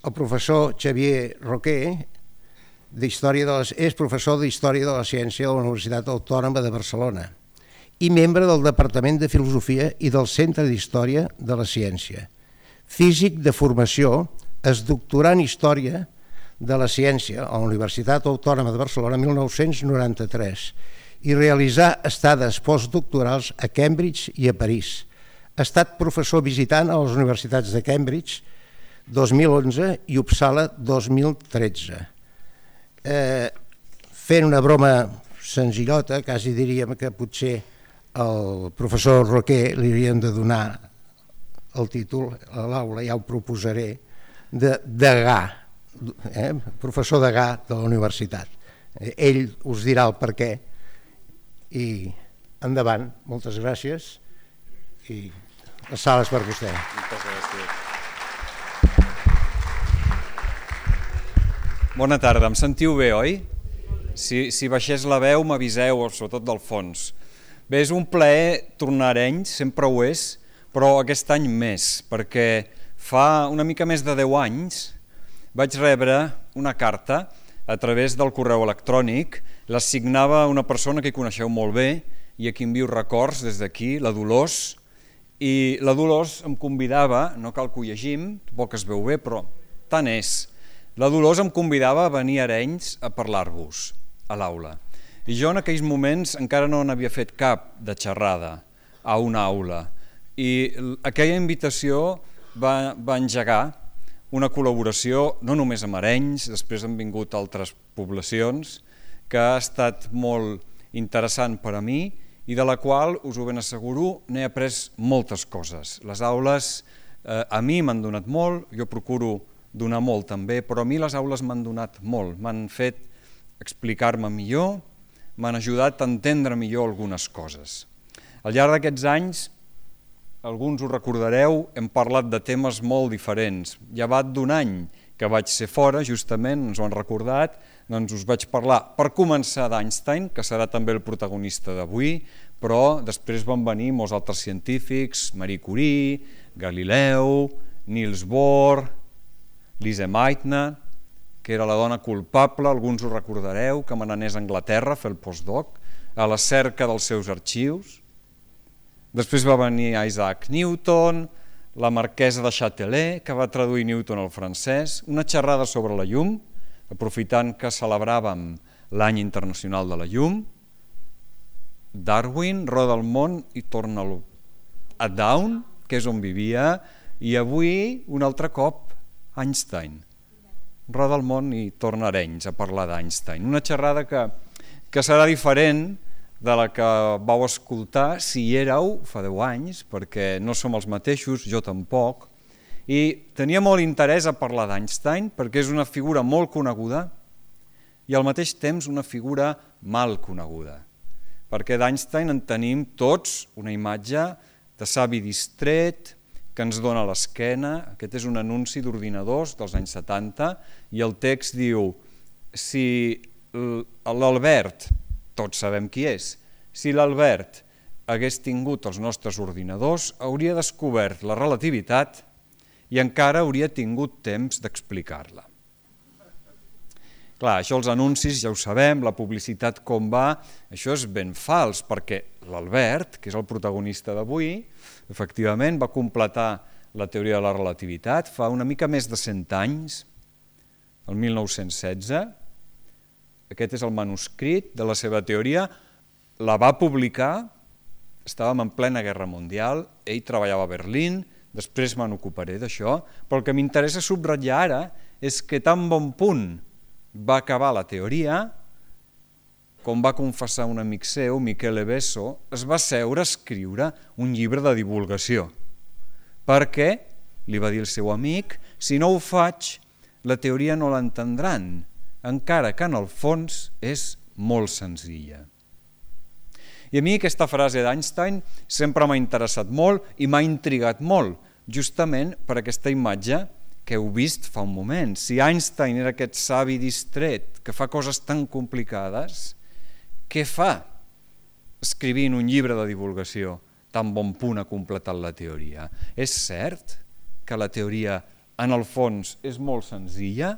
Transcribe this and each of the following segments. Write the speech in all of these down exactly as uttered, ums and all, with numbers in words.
el professor Xavier Roquer d'Història de les, és professor d'Història de la Ciència de la Universitat Autònoma de Barcelona i membre del Departament de Filosofia i del Centre d'Història de la Ciència. Físic de formació, es doctorà en Història de la Ciència a la Universitat Autònoma de Barcelona mil nou-cents noranta-tres i realitzà estades postdoctorals a Cambridge i a París. Ha estat professor visitant a les universitats de Cambridge dos mil onze i Uppsala dos mil tretze. Eh, fent una broma senzillota, quasi diríem que potser al professor Roquer li hauríem de donar el títol a l'aula, ja ho proposaré, de degà, eh? professor degà de la universitat. Ell us dirà el per què i endavant, moltes gràcies i la sala és per vostè. Moltes gràcies. Bona tarda, em sentiu bé, oi? Si, si baixés la veu m'aviseu, sobretot del fons. Bé, és un plaer tornar a Arenys, sempre ho és, però aquest any més, perquè fa una mica més de deu anys vaig rebre una carta a través del correu electrònic, la signava una persona que coneixeu molt bé i a qui envio records des d'aquí, la Dolors, i la Dolors em convidava, no cal que ho llegim, tampoc es veu bé, però tant és, la Dolors em convidava a venir a Arenys a parlar-vos a l'aula. I jo en aquells moments encara no n'havia fet cap de xerrada a una aula i aquella invitació va, va engegar una col·laboració no només amb Arenys, després han vingut altres poblacions, que ha estat molt interessant per a mi i de la qual, us ho ben asseguro, n'he après moltes coses. Les aules eh, a mi m'han donat molt, jo procuro donar molt també, però a mi les aules m'han donat molt, m'han fet explicar-me millor, m'han ajudat a entendre millor algunes coses. Al llarg d'aquests anys, alguns ho recordareu, hem parlat de temes molt diferents. Llevat d'un any que vaig ser fora, justament, ens ho han recordat, doncs us vaig parlar, per començar, d'Einstein, que serà també el protagonista d'avui, però després van venir molts altres científics, Marie Curie, Galileu, Niels Bohr, Lise Meitner, que era la dona culpable, alguns ho recordareu, que me n'anés a Anglaterra a fer el postdoc, a la cerca dels seus arxius. Després va venir Isaac Newton, la marquesa de Châtelet, que va traduir Newton al francès, una xerrada sobre la llum, aprofitant que celebràvem l'any internacional de la llum, Darwin, roda el món i torna a Down, que és on vivia, i avui, un altre cop, Einstein. Roda el món i torna a Arenys a parlar d'Einstein. Una xerrada que, que serà diferent de la que vau escoltar si hi éreu fa deu anys, perquè no som els mateixos, jo tampoc, i tenia molt interès a parlar d'Einstein perquè és una figura molt coneguda i al mateix temps una figura mal coneguda, perquè d'Einstein en tenim tots una imatge de savi distret, que ens dona l'esquena. Aquest és un anunci d'ordinadors dels anys setanta i el text diu: si l'Albert, tots sabem qui és, si l'Albert hagués tingut els nostres ordinadors hauria descobert la relativitat i encara hauria tingut temps d'explicar-la. Clar, això els anuncis ja ho sabem, la publicitat com va, això és ben fals, perquè l'Albert, que és el protagonista d'avui, efectivament va completar la teoria de la relativitat fa una mica més de cent anys, el mil nou-cents setze. Aquest és el manuscrit de la seva teoria, la va publicar, estàvem en plena guerra mundial, ell treballava a Berlín, després me n'ocuparé d'això, però el que m'interessa subratllar ara és que tan bon punt va acabar la teoria, com va confessar un amic seu, Michele Besso, es va seure a escriure un llibre de divulgació, perquè, li va dir el seu amic, si no ho faig, la teoria no l'entendran, encara que en el fons és molt senzilla. I a mi aquesta frase d'Einstein sempre m'ha interessat molt i m'ha intrigat molt, justament per aquesta imatge que heu vist fa un moment. Si Einstein era aquest savi distret que fa coses tan complicades, què fa escrivint un llibre de divulgació tan bon punt ha completat la teoria? És cert que la teoria en el fons és molt senzilla,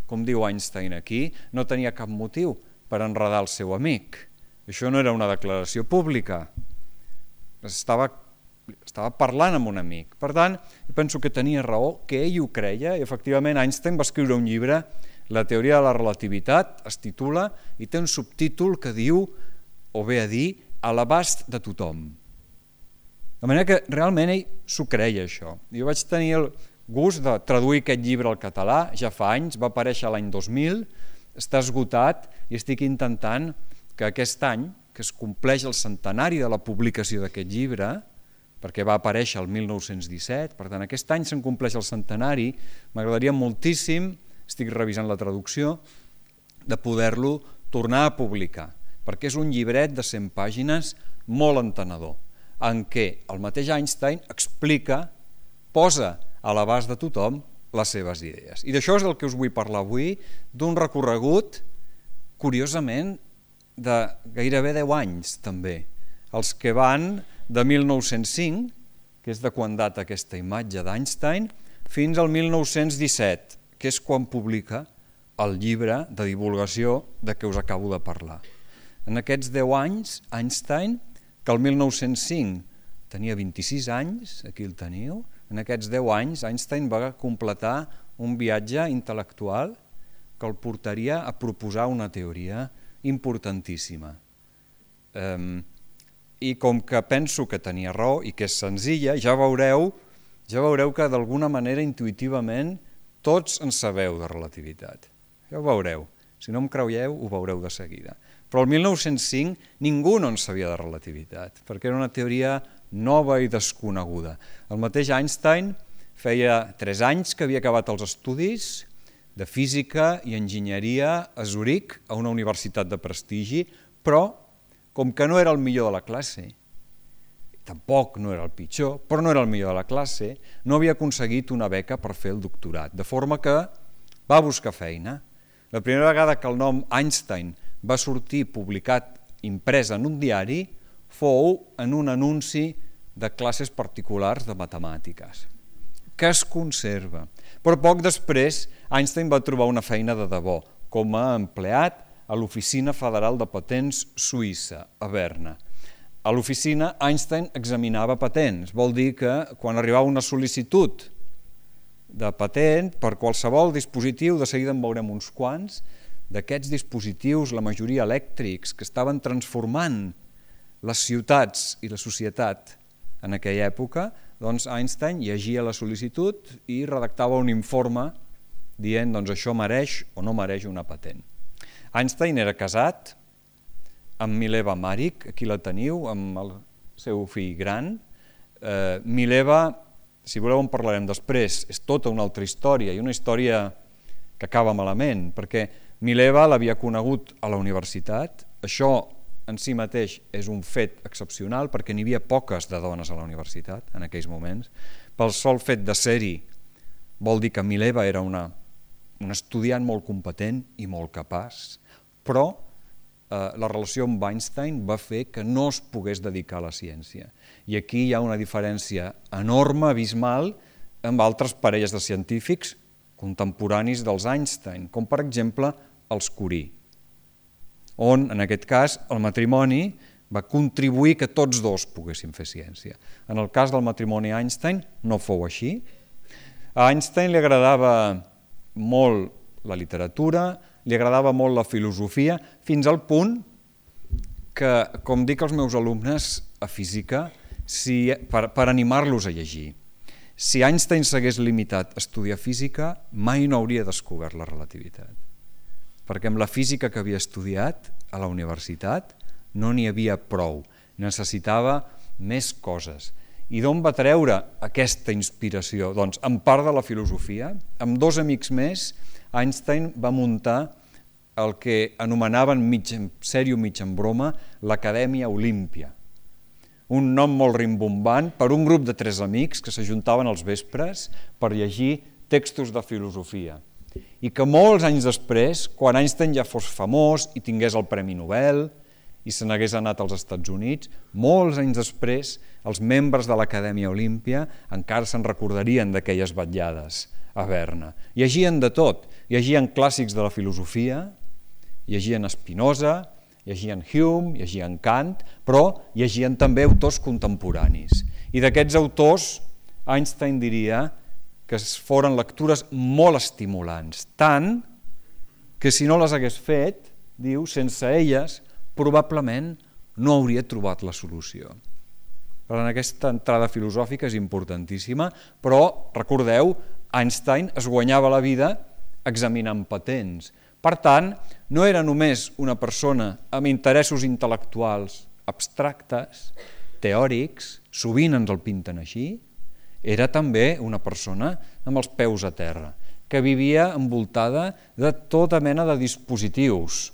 com diu Einstein aquí, no tenia cap motiu per enredar el seu amic. Això no era una declaració pública, estava, estava parlant amb un amic. Per tant, penso que tenia raó, que ell ho creia, i efectivament Einstein va escriure un llibre, La teoria de la relativitat, es titula, i té un subtítol que diu, o ve a dir, a l'abast de tothom. De manera que realment ell s'ho creia, això. Jo vaig tenir el gust de traduir aquest llibre al català, ja fa anys, va aparèixer l'any dos mil, està esgotat i estic intentant que aquest any, que es compleix el centenari de la publicació d'aquest llibre, perquè va aparèixer el mil nou-cents disset, per tant aquest any se'n compleix el centenari, m'agradaria moltíssim, estic revisant la traducció, de poder-lo tornar a publicar, perquè és un llibret de cent pàgines molt entenedor, en què el mateix Einstein explica, posa a l'abast de tothom les seves idees. I d'això és el que us vull parlar avui, d'un recorregut, curiosament, de gairebé deu anys també, els que van de mil nou-cents cinc, que és de quan data aquesta imatge d'Einstein, fins al mil nou-cents disset, que és quan publica el llibre de divulgació de què us acabo de parlar. En aquests deu anys, Einstein, que el mil nou-cents cinc tenia vint-i-sis anys, aquí el teniu, en aquests deu anys Einstein va completar un viatge intel·lectual que el portaria a proposar una teoria importantíssima. I com que penso que tenia raó i que és senzilla, ja veureu, ja veureu que d'alguna manera intuïtivament tots en sabeu de relativitat. Ja ho veureu. Si no em creieu, ho veureu de seguida. Però el mil nou-cents cinc ningú no en sabia de relativitat, perquè era una teoria nova i desconeguda. El mateix Einstein feia tres anys que havia acabat els estudis de física i enginyeria a Zuric, a una universitat de prestigi, però com que no era el millor de la classe, tampoc no era el pitjor, però no era el millor de la classe, no havia aconseguit una beca per fer el doctorat, de forma que va buscar feina. La primera vegada que el nom Einstein va sortir publicat, imprès en un diari, fou en un anunci de classes particulars de matemàtiques, que es conserva. Però poc després Einstein va trobar una feina de debò, com a empleat a l'Oficina Federal de Patents Suïssa, a Berna. A l'oficina Einstein examinava patents, vol dir que quan arribava una sol·licitud de patent per qualsevol dispositiu, de seguida en veurem uns quants, d'aquests dispositius, la majoria elèctrics, que estaven transformant les ciutats i la societat en aquella època, doncs Einstein llegia la sol·licitud i redactava un informe dient doncs això mereix o no mereix una patent. Einstein era casat amb Mileva Maric, aquí la teniu, amb el seu fill gran. Eh, Mileva, si voleu en parlarem després, és tota una altra història, i una història que acaba malament, perquè Mileva l'havia conegut a la universitat. Això en si mateix és un fet excepcional, perquè n'hi havia poques de dones a la universitat en aquells moments. Pel sol fet de ser-hi vol dir que Mileva era una, una estudiant molt competent i molt capaç, però la relació amb Einstein va fer que no es pogués dedicar a la ciència. I aquí hi ha una diferència enorme, abismal, amb altres parelles de científics contemporanis dels Einstein, com per exemple els Curie, on en aquest cas el matrimoni va contribuir que tots dos poguessin fer ciència. En el cas del matrimoni Einstein no fou així. A Einstein li agradava molt la literatura, li agradava molt la filosofia, fins al punt que, com dic als meus alumnes a física, si, per, per animar-los a llegir, si Einstein s'hagués limitat a estudiar física, mai no hauria descobert la relativitat. Perquè amb la física que havia estudiat a la universitat no n'hi havia prou, necessitava més coses. I d'on va treure aquesta inspiració? Doncs en part de la filosofia, amb dos amics més, Einstein va muntar el que anomenaven mig en sèrio, mig en broma, l'Acadèmia Olímpia. Un nom molt rimbombant per un grup de tres amics que s'ajuntaven als vespres per llegir textos de filosofia. I que molts anys després, quan Einstein ja fos famós i tingués el Premi Nobel i se n'hagués anat als Estats Units, molts anys després els membres de l'Acadèmia Olímpia encara se'n recordarien d'aquelles vetllades a Berna. Llegien de tot, llegien clàssics de la filosofia, llegien Spinoza, llegien Hume, llegien Kant, però llegien també autors contemporanis. I d'aquests autors, Einstein diria que foren lectures molt estimulants, tant que si no les hagués fet, diu, sense elles, probablement no hauria trobat la solució. Per tant, aquesta entrada filosòfica és importantíssima, però, recordeu, Einstein es guanyava la vida examinant patents. Per tant, no era només una persona amb interessos intel·lectuals abstractes, teòrics, sovint ens el pinten així, era també una persona amb els peus a terra, que vivia envoltada de tota mena de dispositius.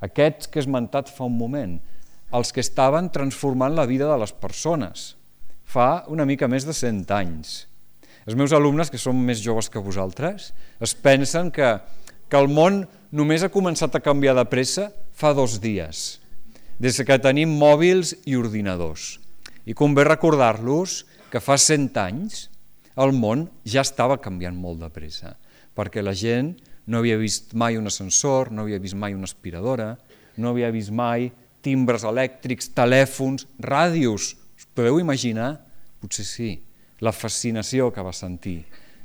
Aquests que he esmentat fa un moment, els que estaven transformant la vida de les persones, fa una mica més de cent anys. Els meus alumnes, que són més joves que vosaltres, es pensen que, que el món només ha començat a canviar de pressa fa dos dies, des que tenim mòbils i ordinadors. I convé recordar-los que fa cent anys el món ja estava canviant molt de pressa, perquè la gent no havia vist mai un ascensor, no havia vist mai una aspiradora, no havia vist mai timbres elèctrics, telèfons, ràdios. Us podeu imaginar? Potser sí, la fascinació que va sentir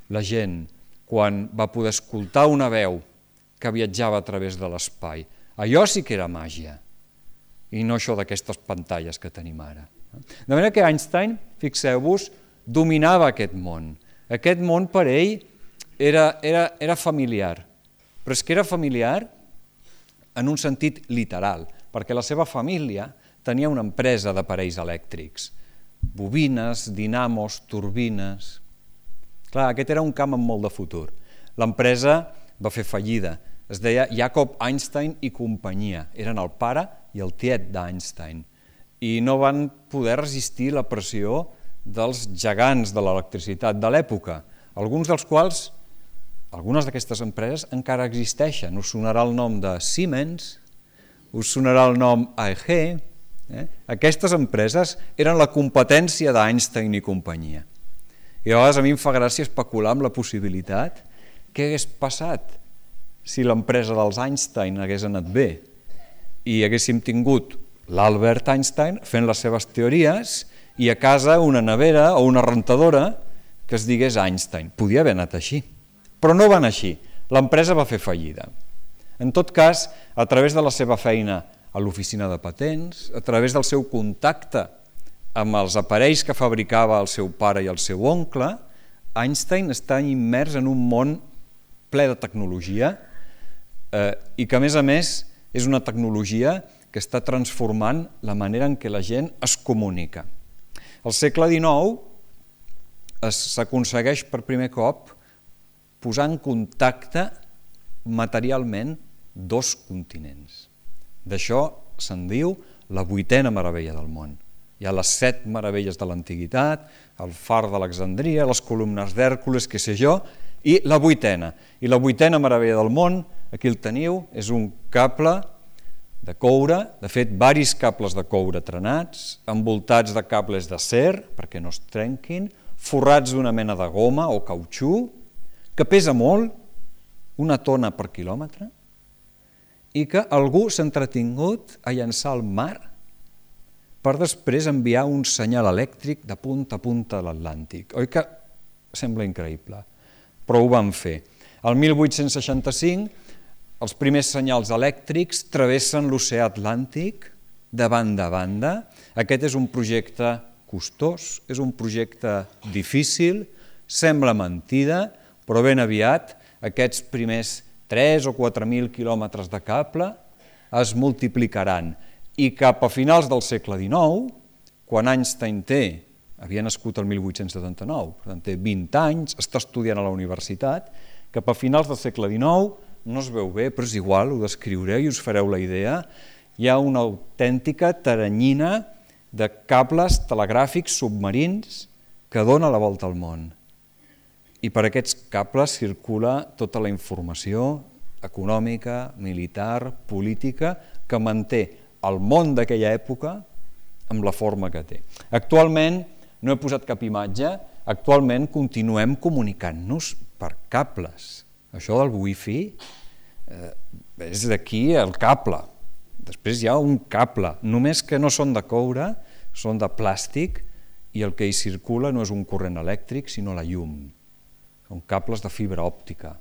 la gent quan va poder escoltar una veu que viatjava a través de l'espai. Allò sí que era màgia, i no això d'aquestes pantalles que tenim ara. De manera que Einstein, fixeu-vos, dominava aquest món. Aquest món per ell era, era, era familiar, però és que era familiar en un sentit literal, perquè la seva família tenia una empresa d'aparells elèctrics, bobines, dinamos, turbines. Clar, aquest era un camp amb molt de futur. L'empresa va fer fallida, es deia Jacob Einstein i companyia, eren el pare i el tiet d'Einstein, i no van poder resistir la pressió dels gegants de l'electricitat de l'època, alguns dels quals, algunes d'aquestes empreses encara existeixen. Us sonarà el nom de Siemens, us sonarà el nom A E G. Eh? Aquestes empreses eren la competència d'Einstein i companyia. I a vegades a mi em fa gràcia especular amb la possibilitat què hagués passat si l'empresa dels Einstein hagués anat bé i haguéssim tingut l'Albert Einstein fent les seves teories i a casa una nevera o una rentadora que es digués Einstein. Podia haver anat així, però no va anar així. L'empresa va fer fallida. En tot cas, a través de la seva feina a l'oficina de patents, a través del seu contacte amb els aparells que fabricava el seu pare i el seu oncle, Einstein està immers en un món ple de tecnologia eh, i que, a més a més, és una tecnologia que està transformant la manera en què la gent es comunica. Al segle dinou s'aconsegueix per primer cop posar en contacte materialment dos continents. D'això se'n diu la vuitena meravella del món. Hi ha les set meravelles de l'antiguitat, el far d'Alexandria, les columnes d'Hèrcules, què sé jo, i la vuitena. I la vuitena meravella del món, aquí el teniu, és un cable de coure, de fet, varis cables de coure trenats, envoltats de cables d'acer, perquè no es trenquin, forrats d'una mena de goma o cautxú, que pesa molt, una tona per quilòmetre, i que algú s'ha entretingut a llançar al mar per després enviar un senyal elèctric de punta a punta de l'Atlàntic. Oi que sembla increïble? Però ho van fer. El mil vuit-cents seixanta-cinc, els primers senyals elèctrics travessen l'oceà Atlàntic de banda a banda. Aquest és un projecte costós, és un projecte difícil, sembla mentida, però ben aviat aquests primers tres o quatre mil quilòmetres de cable es multiplicaran i cap a finals del segle dinou, quan Einstein té, havia nascut el mil vuit-cents setanta-nou, per tant té vint anys, està estudiant a la universitat, cap a finals del segle dinou, no es veu bé, però és igual, ho descriuré i us fareu la idea, hi ha una autèntica taranyina de cables telegràfics submarins que dona la volta al món. I per aquests cables circula tota la informació econòmica, militar, política, que manté el món d'aquella època amb la forma que té. Actualment, no he posat cap imatge, actualment continuem comunicant-nos per cables. Això del wifi eh, és d'aquí el cable. Després hi ha un cable, només que no són de coure, són de plàstic i el que hi circula no és un corrent elèctric, sinó la llum. Són cables de fibra òptica.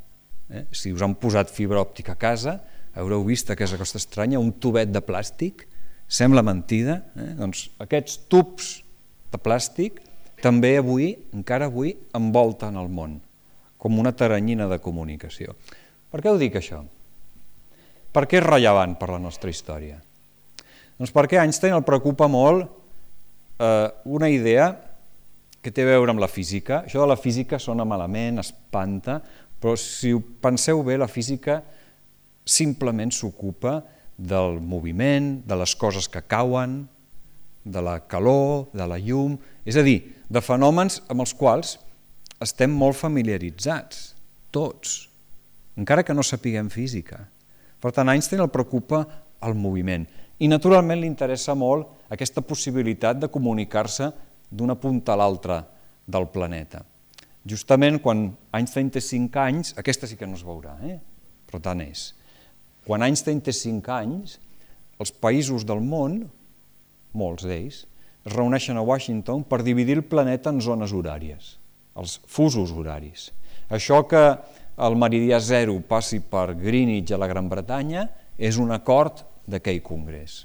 Eh? Si us han posat fibra òptica a casa, haureu vist aquesta cosa estranya, un tubet de plàstic, sembla mentida, eh? Doncs aquests tubs de plàstic també avui, encara avui, envolten el món, com una taranyina de comunicació. Per què ho dic això? Per què és rellevant per la nostra història? Doncs perquè a Einstein el preocupa molt eh, una idea que té a veure amb la física. Això de la física sona malament, espanta, però si ho penseu bé, la física simplement s'ocupa del moviment, de les coses que cauen, de la calor, de la llum, és a dir, de fenòmens amb els quals estem molt familiaritzats, tots, encara que no sapiguem física. Per tant, a Einstein el preocupa el moviment i naturalment li interessa molt aquesta possibilitat de comunicar-se d'una punta a l'altra del planeta. Justament quan Einstein té cinc anys, aquesta sí que no es veurà, eh? Però tant és. Quan Einstein té cinc anys, els països del món, molts d'ells, es reuneixen a Washington per dividir el planeta en zones horàries, els fusos horaris. Això que el meridià zero passi per Greenwich a la Gran Bretanya és un acord d'aquell congrés.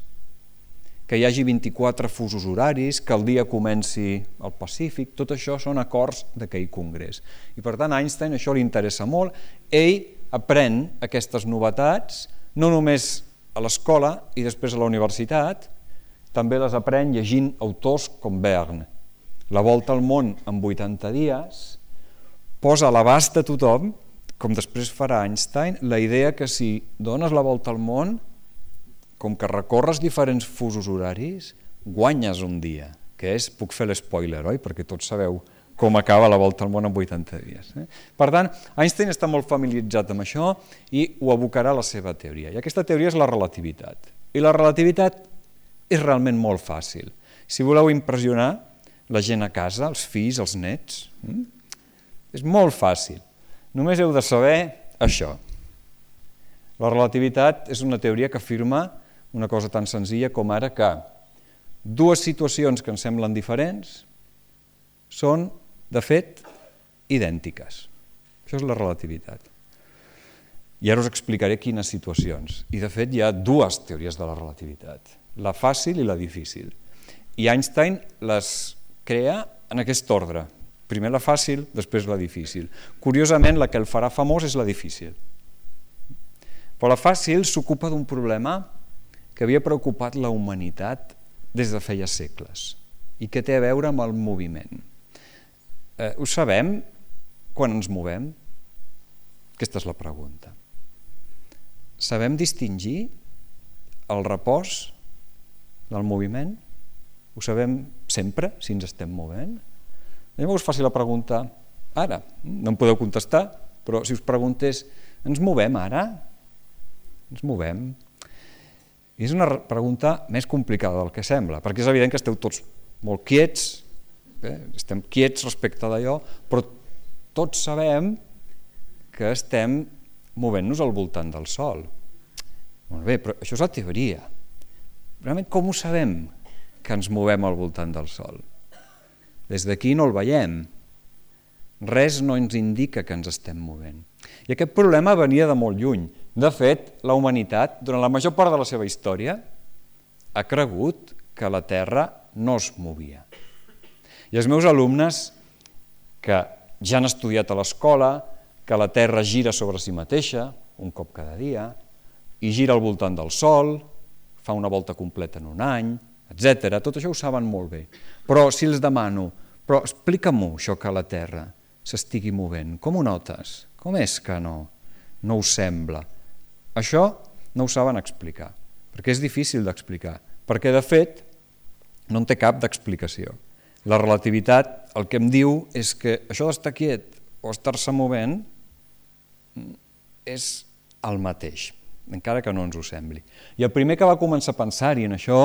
Que hi hagi vint-i-quatre fusos horaris, que el dia comenci al Pacífic, tot això són acords d'aquell congrés. I per tant a Einstein això li interessa molt. Ell aprèn aquestes novetats, no només a l'escola i després a la universitat, també les aprèn llegint autors com Verne. La volta al món en vuitanta dies posa a l'abast de tothom, com després farà Einstein, la idea que si dones la volta al món, com que recorres diferents fusos horaris, guanyes un dia, que és, puc fer l'espoiler, oi? Perquè tots sabeu com acaba la volta al món en vuitanta dies. Eh? Per tant, Einstein està molt familiaritzat amb això i ho abocarà a la seva teoria. I aquesta teoria és la relativitat. I la relativitat és realment molt fàcil. Si voleu impressionar la gent a casa, els fills, els nets, hm? és molt fàcil. Només heu de saber això. La relativitat és una teoria que afirma una cosa tan senzilla com ara que dues situacions que ens semblen diferents són, de fet, idèntiques. Això és la relativitat. I ara us explicaré quines situacions. I, de fet, hi ha dues teories de la relativitat, la fàcil i la difícil. I Einstein les crea en aquest ordre. Primer la fàcil, després la difícil. Curiosament, la que el farà famós és la difícil. Però la fàcil s'ocupa d'un problema que havia preocupat la humanitat des de feia segles i que té a veure amb el moviment. Eh, ho sabem quan ens movem? Aquesta és la pregunta. Sabem distingir el repòs del moviment? Ho sabem sempre, si ens estem movent? Llavors us faci la pregunta ara. No em podeu contestar, però si us preguntés, ens movem ara? Ens movem? I és una pregunta més complicada del que sembla, perquè és evident que esteu tots molt quiets, eh? estem quiets respecte d'allò, però tots sabem que estem movent-nos al voltant del Sol. Molt bé, però això és la teoria. Realment, com ho sabem que ens movem al voltant del Sol? Des d'aquí no el veiem. Res no ens indica que ens estem movent. I aquest problema venia de molt lluny. De fet, la humanitat, durant la major part de la seva història, ha cregut que la Terra no es movia. I els meus alumnes, que ja han estudiat a l'escola, que la Terra gira sobre si mateixa, un cop cada dia, i gira al voltant del Sol, fa una volta completa en un any, etcètera. Tot això ho saben molt bé. Però si els demano, però explica-m'ho això que la Terra s'estigui movent, com ho notes? Com és que no? No us sembla? Això no ho saben explicar, perquè és difícil d'explicar, perquè de fet no en té cap d'explicació. La relativitat el que em diu és que això d'estar quiet o estar-se movent és el mateix. encara que no ens ho sembli. I el primer que va començar a pensar-hi en això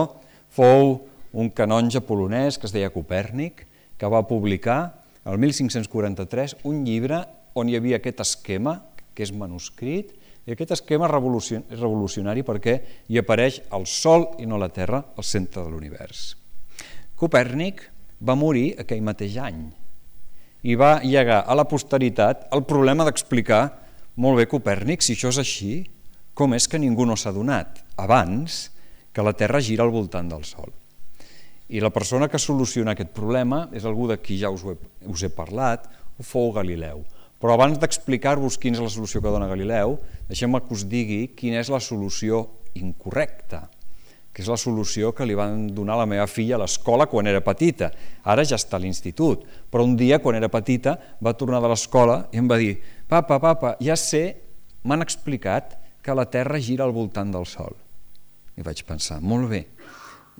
fou un canonge polonès que es deia Copèrnic, que va publicar el mil cinc-cents quaranta-tres un llibre on hi havia aquest esquema, que és manuscrit, i aquest esquema és revolucionari perquè hi apareix el Sol i no la Terra al centre de l'univers. Copèrnic va morir aquell mateix any i va llegar a la posteritat el problema d'explicar molt bé Copèrnic, si això és així, com és que ningú no s'ha adonat abans que la Terra gira al voltant del Sol. I la persona que soluciona aquest problema és algú de qui ja us he, us he parlat, fou Galileu. Però abans d'explicar-vos quina és la solució que dona Galileu, deixeu-me que us digui quina és la solució incorrecta, que és la solució que li van donar a la meva filla a l'escola quan era petita. Ara ja està a l'institut, però un dia, quan era petita, va tornar de l'escola i em va dir: «Papa, papa, ja sé, m'han explicat que la Terra gira al voltant del Sol». I vaig pensar, molt bé.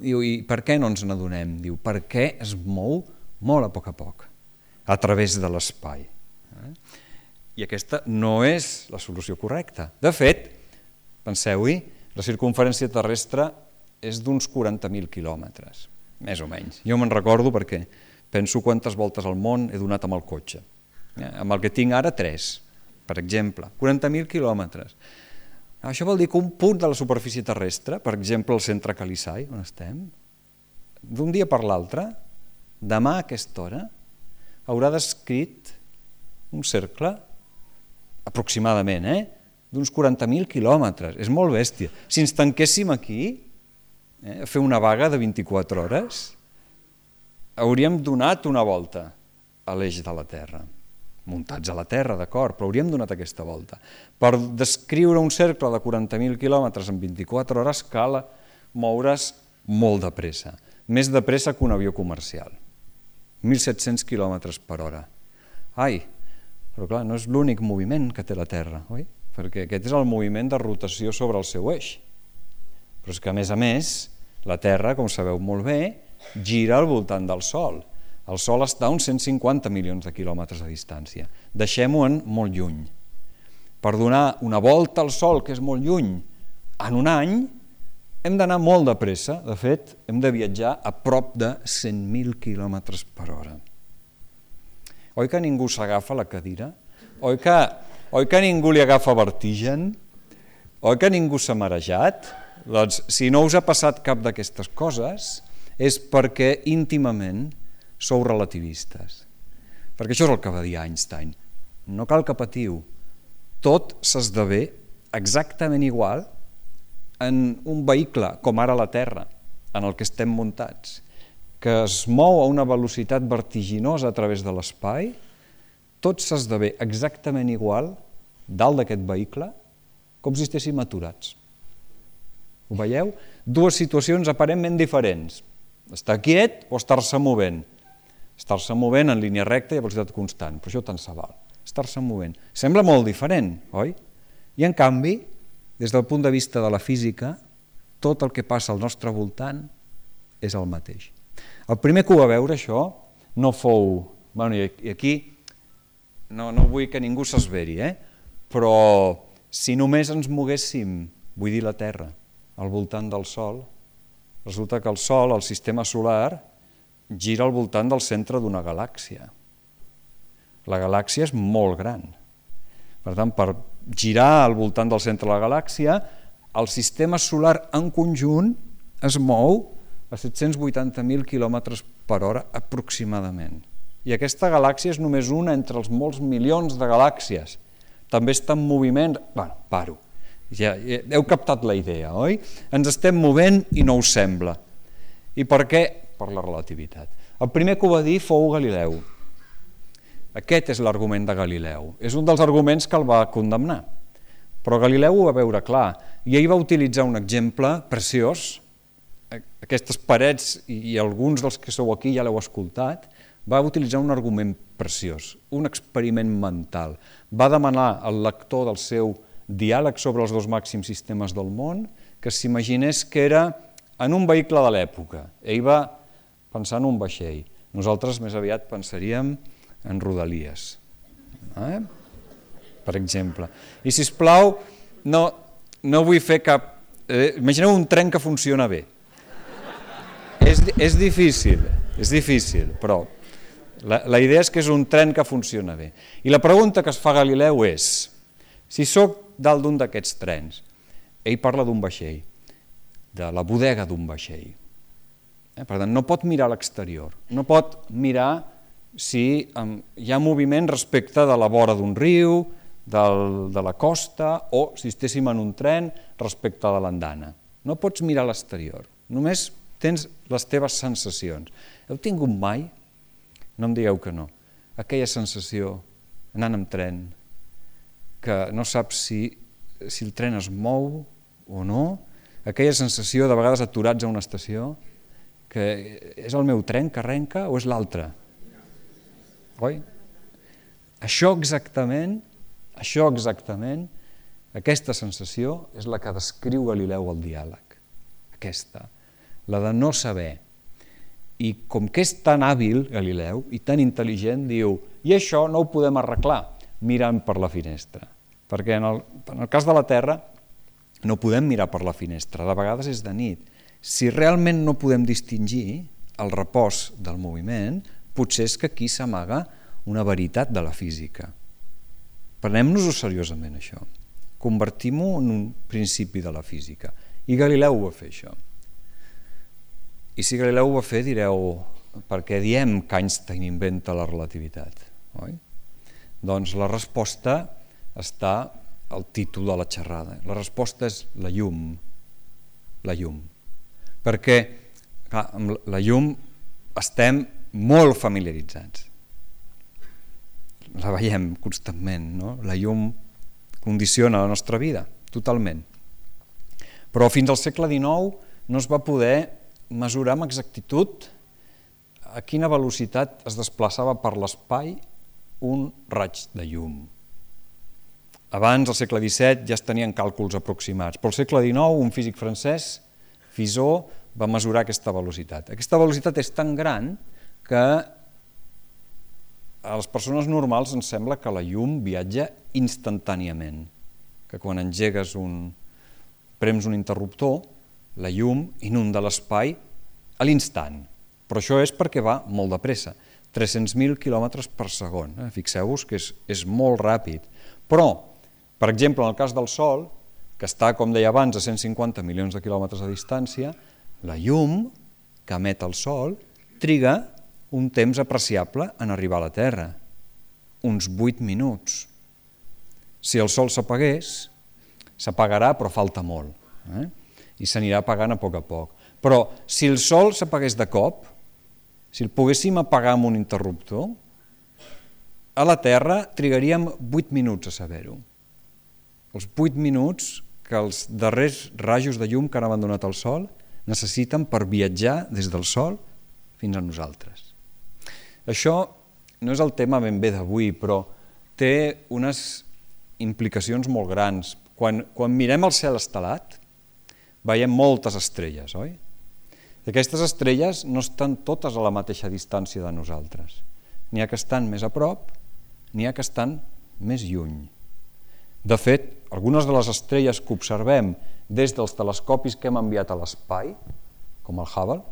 Diu, i per què no ens n'adonem? Diu, perquè es mou molt a poc a poc, a través de l'espai. I aquesta no és la solució correcta. De fet, penseu-hi, la circumferència terrestre és d'uns quaranta mil quilòmetres, més o menys. Jo me'n recordo perquè penso quantes voltes al món he donat amb el cotxe. Amb el que tinc ara, tres, per exemple. quaranta mil quilòmetres. Això vol dir que un punt de la superfície terrestre, per exemple el centre Calisai, on estem, d'un dia per l'altre, demà a aquesta hora, haurà descrit un cercle, aproximadament, eh? d'uns quaranta mil quilòmetres. És molt bèstia. Si ens tanquéssim aquí, eh, a fer una vaga de vint-i-quatre hores, hauríem donat una volta a l'eix de la Terra. Muntats a la Terra, d'acord, però hauríem donat aquesta volta. Per descriure un cercle de quaranta mil quilòmetres en vint-i-quatre hores cal moure's molt de pressa, més de pressa que un avió comercial. mil set-cents quilòmetres per hora. Ai, però clar, no és l'únic moviment que té la Terra, oi? Perquè aquest és el moviment de rotació sobre el seu eix. Però és que, a més a més, la Terra, com sabeu molt bé, gira al voltant del Sol. El Sol està a uns cent cinquanta milions de quilòmetres de distància. Deixem-ho molt lluny. Per donar una volta al Sol, que és molt lluny, en un any, hem d'anar molt de pressa. De fet, hem de viatjar a prop de cent mil quilòmetres per hora. Oi que ningú s'agafa a la cadira? Oi que, oi que ningú li agafa vertigen? Oi que ningú s'ha marejat? Doncs, si no us ha passat cap d'aquestes coses, és perquè íntimament sou relativistes. Perquè això és el que va dir Einstein. No cal que patiu. Tot s'esdevé exactament igual en un vehicle, com ara la Terra, en el que estem muntats, que es mou a una velocitat vertiginosa a través de l'espai, tot s'esdevé exactament igual dalt d'aquest vehicle com si estéssim aturats. Ho veieu? Dues situacions aparentment diferents. Estar quiet o estar-se movent. Estar-se movent en línia recta i a velocitat constant, però això tant se val. Estar-se movent. Sembla molt diferent, oi? I en canvi, des del punt de vista de la física, tot el que passa al nostre voltant és el mateix. El primer que ho va veure això no fou... Bueno, i aquí no, no vull que ningú s'esveri, eh? Però si només ens moguéssim, vull dir la Terra, al voltant del Sol, resulta que el Sol, el sistema solar, gira al voltant del centre d'una galàxia. La galàxia és molt gran. Per tant, per girar al voltant del centre de la galàxia, el sistema solar en conjunt es mou a set-cents vuitanta mil quilòmetres per hora aproximadament. I aquesta galàxia és només una entre els molts milions de galàxies. També està en moviment... Bueno, paro. Ja, ja heu captat la idea, oi? Ens estem movent i no us sembla. I per què? Per la relativitat. El primer que ho va dir fou Galileu. Aquest és l'argument de Galileu. És un dels arguments que el va condemnar. Però Galileu ho va veure clar i ell va utilitzar un exemple preciós. Aquestes parets, i alguns dels que sou aquí ja l'heu escoltat, va utilitzar un argument preciós, un experiment mental. Va demanar al lector del seu diàleg sobre els dos màxims sistemes del món que s'imaginés que era en un vehicle de l'època. Ell va pensar en un vaixell. Nosaltres més aviat pensaríem en rodalies, eh? Per exemple. I, sisplau, no, no vull fer cap... Eh, imagineu un tren que funciona bé. És, és difícil, és difícil, però la, la idea és que és un tren que funciona bé. I la pregunta que es fa Galileu és, si sóc dalt d'un d'aquests trens, ell parla d'un vaixell, de la bodega d'un vaixell. Eh? Per tant, no pot mirar a l'exterior, no pot mirar si um, hi ha moviment respecte de la vora d'un riu, del, de la costa, o si estéssim en un tren respecte de l'andana. No pots mirar a l'exterior, només tens les teves sensacions. Heu tingut mai, no em digueu que no, aquella sensació, anant amb tren, que no saps si, si el tren es mou o no, aquella sensació de vegades aturats a una estació, que és el meu tren que arrenca o és l'altre? Oi? Això exactament, això exactament, aquesta sensació és la que descriu Galileu al diàleg. Aquesta, la de no saber. I com que és tan hàbil, Galileu, i tan intel·ligent, diu, i això no ho podem arreglar mirant per la finestra. Perquè en el, en el cas de la Terra no podem mirar per la finestra, de vegades és de nit. Si realment no podem distingir el repòs del moviment, potser és que aquí s'amaga una veritat de la física. Prenem-nos-ho seriosament, això. Convertim-ho en un principi de la física. I Galileu va fer això. I si Galileu ho va fer, direu, per què diem que Einstein inventa la relativitat? Oi? Doncs la resposta està al títol de la xerrada. La resposta és la llum. La llum. Perquè clar, amb la llum estem molt familiaritzats. La veiem constantment, no? La llum condiciona la nostra vida, totalment. Però fins al segle dinou no es va poder mesurar amb exactitud a quina velocitat es desplaçava per l'espai un raig de llum. Abans, al segle disset, ja es tenien càlculs aproximats, però al segle dinou un físic francès, Fizeau, va mesurar aquesta velocitat. Aquesta velocitat és tan gran que a les persones normals ens sembla que la llum viatja instantàniament, que quan engegues un, prems un interruptor, la llum inunda l'espai a l'instant, però això és perquè va molt de pressa, tres-cents mil quilòmetres per segon, eh? Fixeu-vos que és, és molt ràpid, però, per exemple, en el cas del Sol, que està, com deia abans, a cent cinquanta milions de quilòmetres de distància, la llum que emet el Sol triga un temps apreciable en arribar a la Terra, uns vuit minuts. Si el Sol s'apagués, s'apagarà però falta molt, eh? I s'anirà apagant a poc a poc. Però si el Sol s'apagués de cop, si el poguéssim apagar amb un interruptor, a la Terra trigaríem vuit minuts a saber-ho. Els vuit minuts que els darrers rajos de llum que han abandonat el Sol necessiten per viatjar des del Sol fins a nosaltres. Això no és el tema ben bé d'avui, però té unes implicacions molt grans. Quan, quan mirem el cel estelat, veiem moltes estrelles, oi? I aquestes estrelles no estan totes a la mateixa distància de nosaltres. N'hi ha que estan més a prop, n'hi ha que estan més lluny. De fet, algunes de les estrelles que observem des dels telescopis que hem enviat a l'espai, com el Hubble,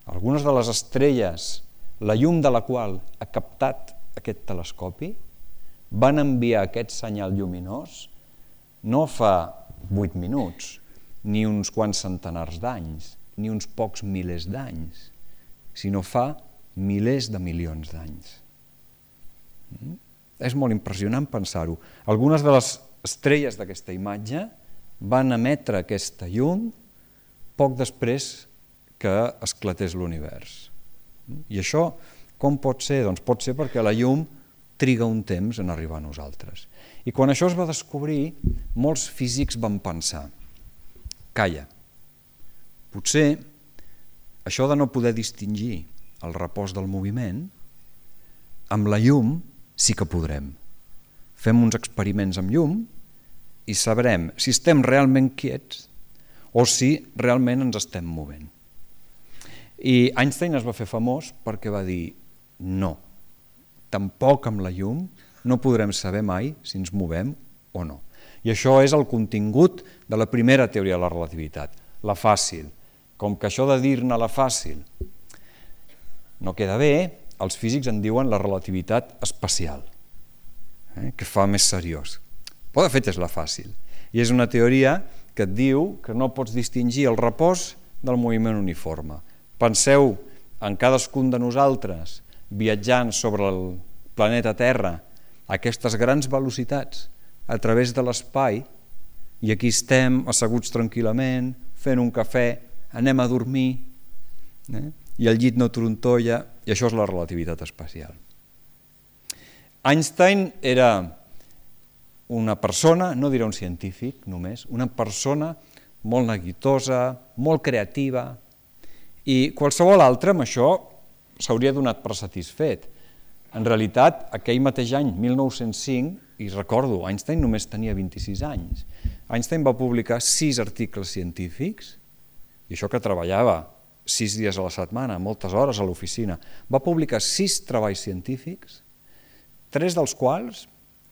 algunes de les estrelles, la llum de la qual ha captat aquest telescopi, van enviar aquest senyal lluminós no fa vuit minuts, ni uns quants centenars d'anys, ni uns pocs milers d'anys, sinó fa milers de milions d'anys. Mm? És molt impressionant pensar-ho. Algunes de les estrelles d'aquesta imatge van emetre aquesta llum poc després que esclatés l'univers. I això com pot ser? Doncs pot ser perquè la llum triga un temps en arribar a nosaltres. I quan això es va descobrir, molts físics van pensar, calla, potser això de no poder distingir el repòs del moviment, amb la llum sí que podrem. Fem uns experiments amb llum i sabrem si estem realment quiets o si realment ens estem movent. I Einstein es va fer famós perquè va dir no, tampoc amb la llum no podrem saber mai si ens movem o no. I això és el contingut de la primera teoria de la relativitat, la fàcil. Com que això de dir-ne la fàcil no queda bé, els físics en diuen la relativitat especial, eh? que fa més seriós. Però de fet és la fàcil. I és una teoria que et diu que no pots distingir el repòs del moviment uniforme. Penseu en cadascun de nosaltres viatjant sobre el planeta Terra a aquestes grans velocitats a través de l'espai, i aquí estem asseguts tranquil·lament, fent un cafè, anem a dormir, eh? i el llit no trontolla, i això és la relativitat especial. Einstein era una persona, no diré un científic només, una persona molt neguitosa, molt creativa, i qualsevol altre amb això s'hauria donat per satisfet. En realitat, aquell mateix any, mil nou-cents cinc, i recordo, Einstein només tenia vint-i-sis anys. Einstein va publicar sis articles científics, i això que treballava sis dies a la setmana, moltes hores a l'oficina, va publicar sis treballs científics, tres dels quals,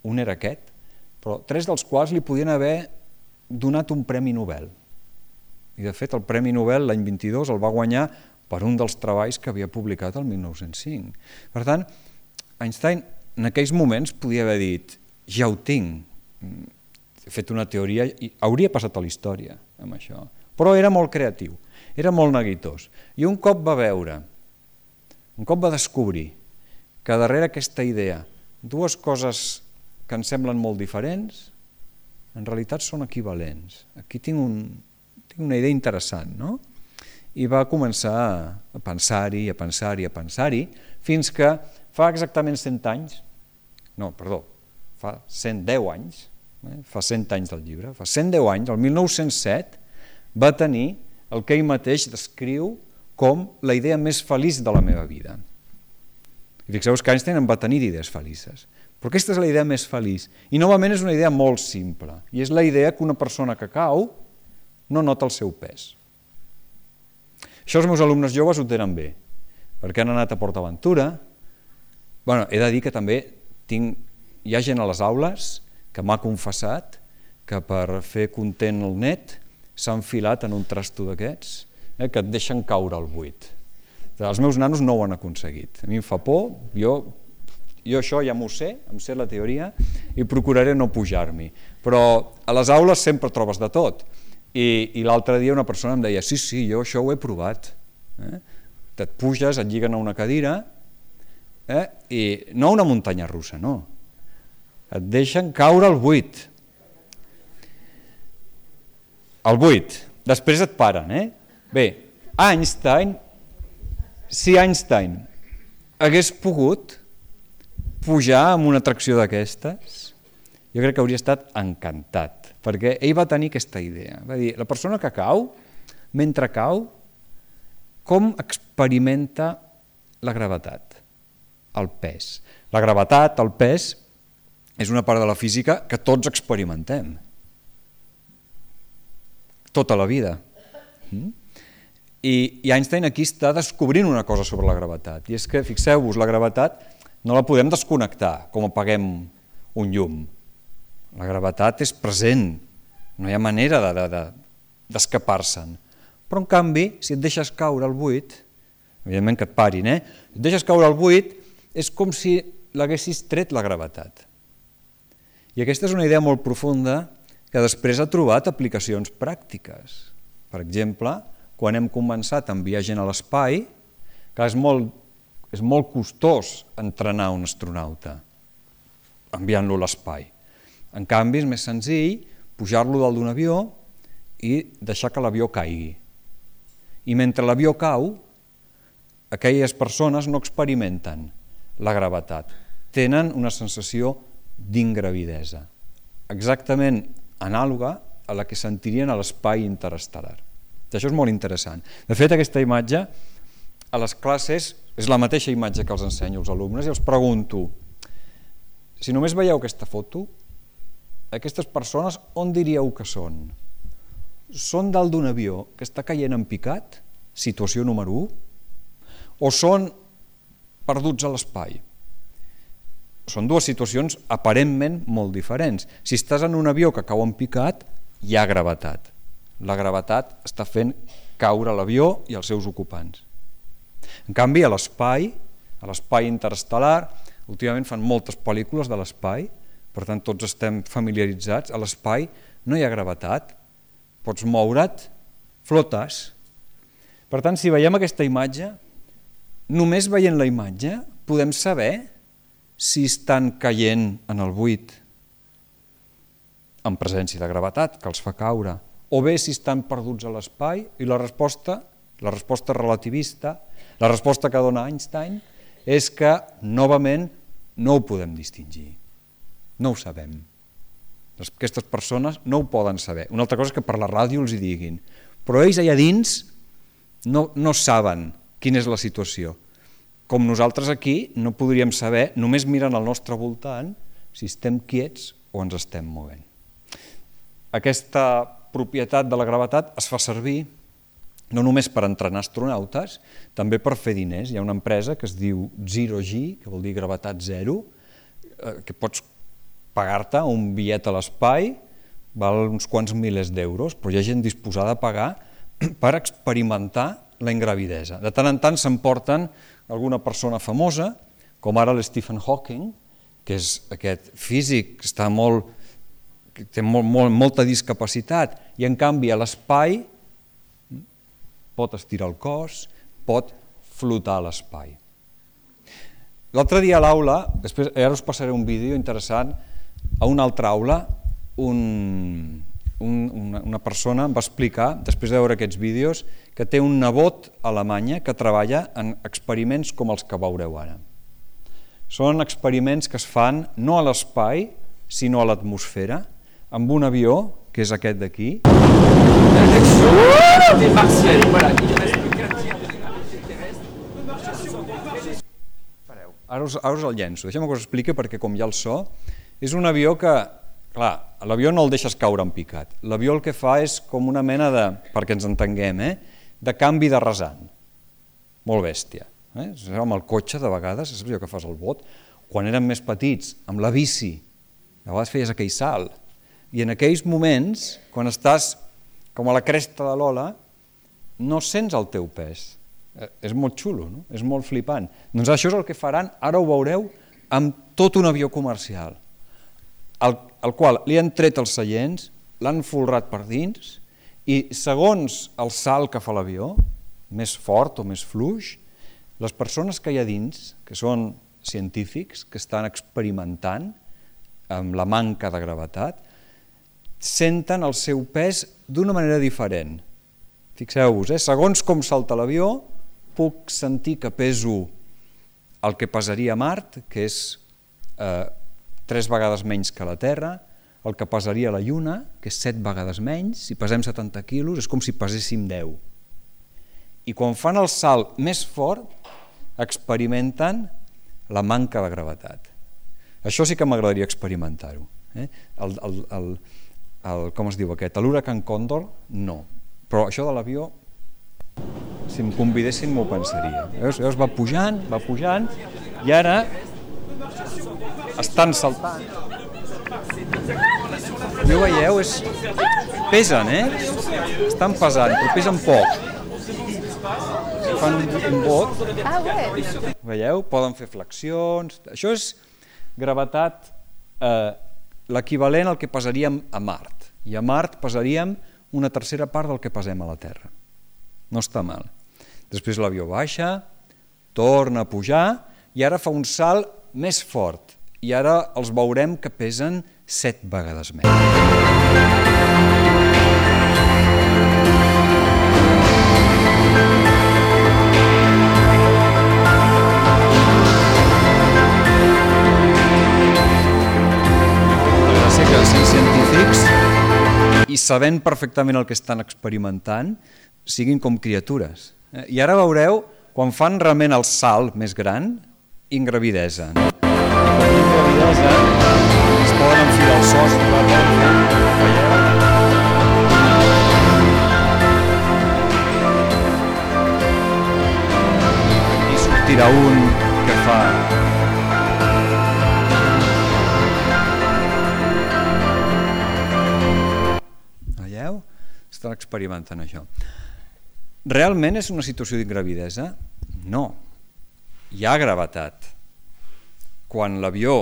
un era aquest, però tres dels quals li podien haver donat un premi Nobel. I de fet el premi Nobel l'any vint-i-dos el va guanyar per un dels treballs que havia publicat el mil nou-cents cinc. Per tant, Einstein en aquells moments podia haver dit ja ho tinc, he fet una teoria i hauria passat a la història amb això, però era molt creatiu, era molt neguitós, i un cop va veure, un cop va descobrir que darrere aquesta idea dues coses que ens semblen molt diferents en realitat són equivalents. Aquí tinc, un, tinc una idea interessant, no? I va començar a pensar-hi, a pensar-hi, a pensar-hi, fins que fa exactament cent anys, no, perdó, fa cent deu anys, eh, fa cent anys del llibre, fa cent deu anys, el mil nou-cents set, va tenir el que ell mateix descriu com la idea més feliç de la meva vida. I fixeu-vos que Einstein en va tenir idees felices, però aquesta és la idea més feliç. I novament és una idea molt simple, i és la idea que una persona que cau no nota el seu pes. Això els meus alumnes joves ho tenen bé, perquè han anat a PortAventura. Bueno, he de dir que també tinc, hi ha gent a les aules que m'ha confessat que per fer content el net s'ha enfilat en un trasto d'aquests, eh, que et deixen caure al buit. Els meus nanos no ho han aconseguit. A mi em fa por, jo, jo això ja m'ho sé, em sé la teoria, i procuraré no pujar-m'hi. Però a les aules sempre trobes de tot. I, i l'altre dia una persona em deia, sí, sí, jo això ho he provat. Eh? Et puges, et lliguen a una cadira, eh? I no una muntanya russa, no. Et deixen caure al buit. Al buit. Després et paren, eh? Bé, Einstein, si Einstein hagués pogut pujar amb una atracció d'aquestes, jo crec que hauria estat encantat, perquè ell va tenir aquesta idea. Va dir, la persona que cau, mentre cau, com experimenta la gravetat, el pes. La gravetat, el pes, és una part de la física que tots experimentem. Tota la vida. I, i Einstein aquí està descobrint una cosa sobre la gravetat, i és que, fixeu-vos, la gravetat no la podem desconnectar, com apaguem un llum. La gravetat és present, no hi ha manera de, de, de, d'escapar-se'n. Però, en canvi, si et deixes caure al buit, evidentment que et parin, eh? Si et deixes caure al buit, és com si l'haguessis tret la gravetat. I aquesta és una idea molt profunda que després ha trobat aplicacions pràctiques. Per exemple, quan hem començat a enviar gent a l'espai, que és molt, és molt costós entrenar un astronauta, enviant-lo a l'espai. En canvi, és més senzill pujar-lo dalt d'un avió i deixar que l'avió caigui. I mentre l'avió cau, aquelles persones no experimenten la gravetat, tenen una sensació d'ingravidesa, exactament anàloga a la que sentirien a l'espai interestel·lar. Això és molt interessant. De fet, aquesta imatge a les classes és la mateixa imatge que els ensenyo als alumnes i els pregunto, si només veieu aquesta foto, aquestes persones on diríeu que són? Són dalt d'un avió que està caient en picat, situació número u, o són perduts a l'espai? són dues situacions aparentment molt diferents. Si estàs en un avió que cau en picat, hi ha gravetat. La gravetat està fent caure l'avió i els seus ocupants. En canvi, a l'espai, a l'espai interestel·lar, últimament fan moltes pel·lícules de l'espai, per tant tots estem familiaritzats, a l'espai no hi ha gravetat, pots moure't, flotes. Per tant, si veiem aquesta imatge, només veient la imatge podem saber si estan caient en el buit en presència de gravetat, que els fa caure, o bé si estan perduts a l'espai, i la resposta, la resposta relativista, la resposta que dona Einstein, és que, novament, no ho podem distingir. No ho sabem. Aquestes persones no ho poden saber. Una altra cosa és que per la ràdio els hi diguin, però ells allà dins no, no saben quina és la situació. Com nosaltres aquí no podríem saber, només mirant al nostre voltant, si estem quiets o ens estem movent. Aquesta propietat de la gravetat es fa servir no només per entrenar astronautes, també per fer diners. Hi ha una empresa que es diu Zero G, que vol dir gravetat zero, que pots pagar-te un bitllet a l'espai, val uns quants milers d'euros, però hi ha gent disposada a pagar per experimentar la ingravidesa. De tant en tant s'emporten alguna persona famosa, com ara l'Stephen Hawking, que és aquest físic que està molt, que té molt, molt, molta discapacitat, i en canvi a l'espai pot estirar el cos, pot flotar a l'espai. L'altre dia a l'aula, després ara us passaré un vídeo interessant, a una altra aula un, un, una, una persona em va explicar, després de veure aquests vídeos, que té un nebot a Alemanya que treballa en experiments com els que veureu ara. Són experiments que es fan no a l'espai, sinó a l'atmosfera, amb un avió, que és aquest d'aquí. Ara us, ara us el llenço, deixem que us expliqui perquè com hi ha el so, és un avió que, clar, l'avió no el deixes caure en picat, l'avió el que fa és com una mena de, perquè ens entenguem, eh, de canvi de rasant, molt bèstia. Eh? Amb el cotxe de vegades, saps allò que fas al bot? Quan érem més petits, amb la bici, a vegades feies aquell salt, i en aquells moments, quan estàs com a la cresta de l'ola, no sents el teu pes. És molt xulo, no? És molt flipant. Doncs això és el que faran, ara ho veureu, amb tot un avió comercial, al, al qual li han tret els seients, l'han folrat per dins, i segons el salt que fa l'avió, més fort o més fluix, les persones que hi ha dins, que són científics, que estan experimentant amb la manca de gravetat, senten el seu pes d'una manera diferent. Fixeu-vos, eh? Segons com salta l'avió, puc sentir que peso el que pesaria a Mart, que és eh, tres vegades menys que la Terra, el que pesaria a la Lluna, que és set vegades menys, si pesem setanta quilos és com si peséssim deu. I quan fan el salt més fort, experimenten la manca de gravetat. Això sí que m'agradaria experimentar-ho. Eh? El, el, el, el, com es diu aquest? L'huracan Còndor, no. Però això de l'avió, si em convidessin m'ho pensaria. Veus? Veus? Va pujant, va pujant, i ara estan saltant. Ja ho veieu? És... Pesen, eh? Estan pesant, però pesen poc. Fan un bot. Veieu? Poden fer flexions. Això és gravetat, eh, l'equivalent al que pesaríem a Mart. I a Mart pesaríem una tercera part del que pesem a la Terra. No està mal. Després l'avió baixa, torna a pujar i ara fa un salt més fort. I ara els veurem que pesen set vegades més. La gràcia que sent científics i sabent perfectament el que estan experimentant, siguin com criatures. I ara veureu, quan fan realment el salt més gran, ingravidesa. Ingravidesa, es poden enfilar els sostres, veieu? I sortirà un que fa... estan experimentant això. Realment és una situació d'ingravidesa? No. Hi ha gravetat. Quan l'avió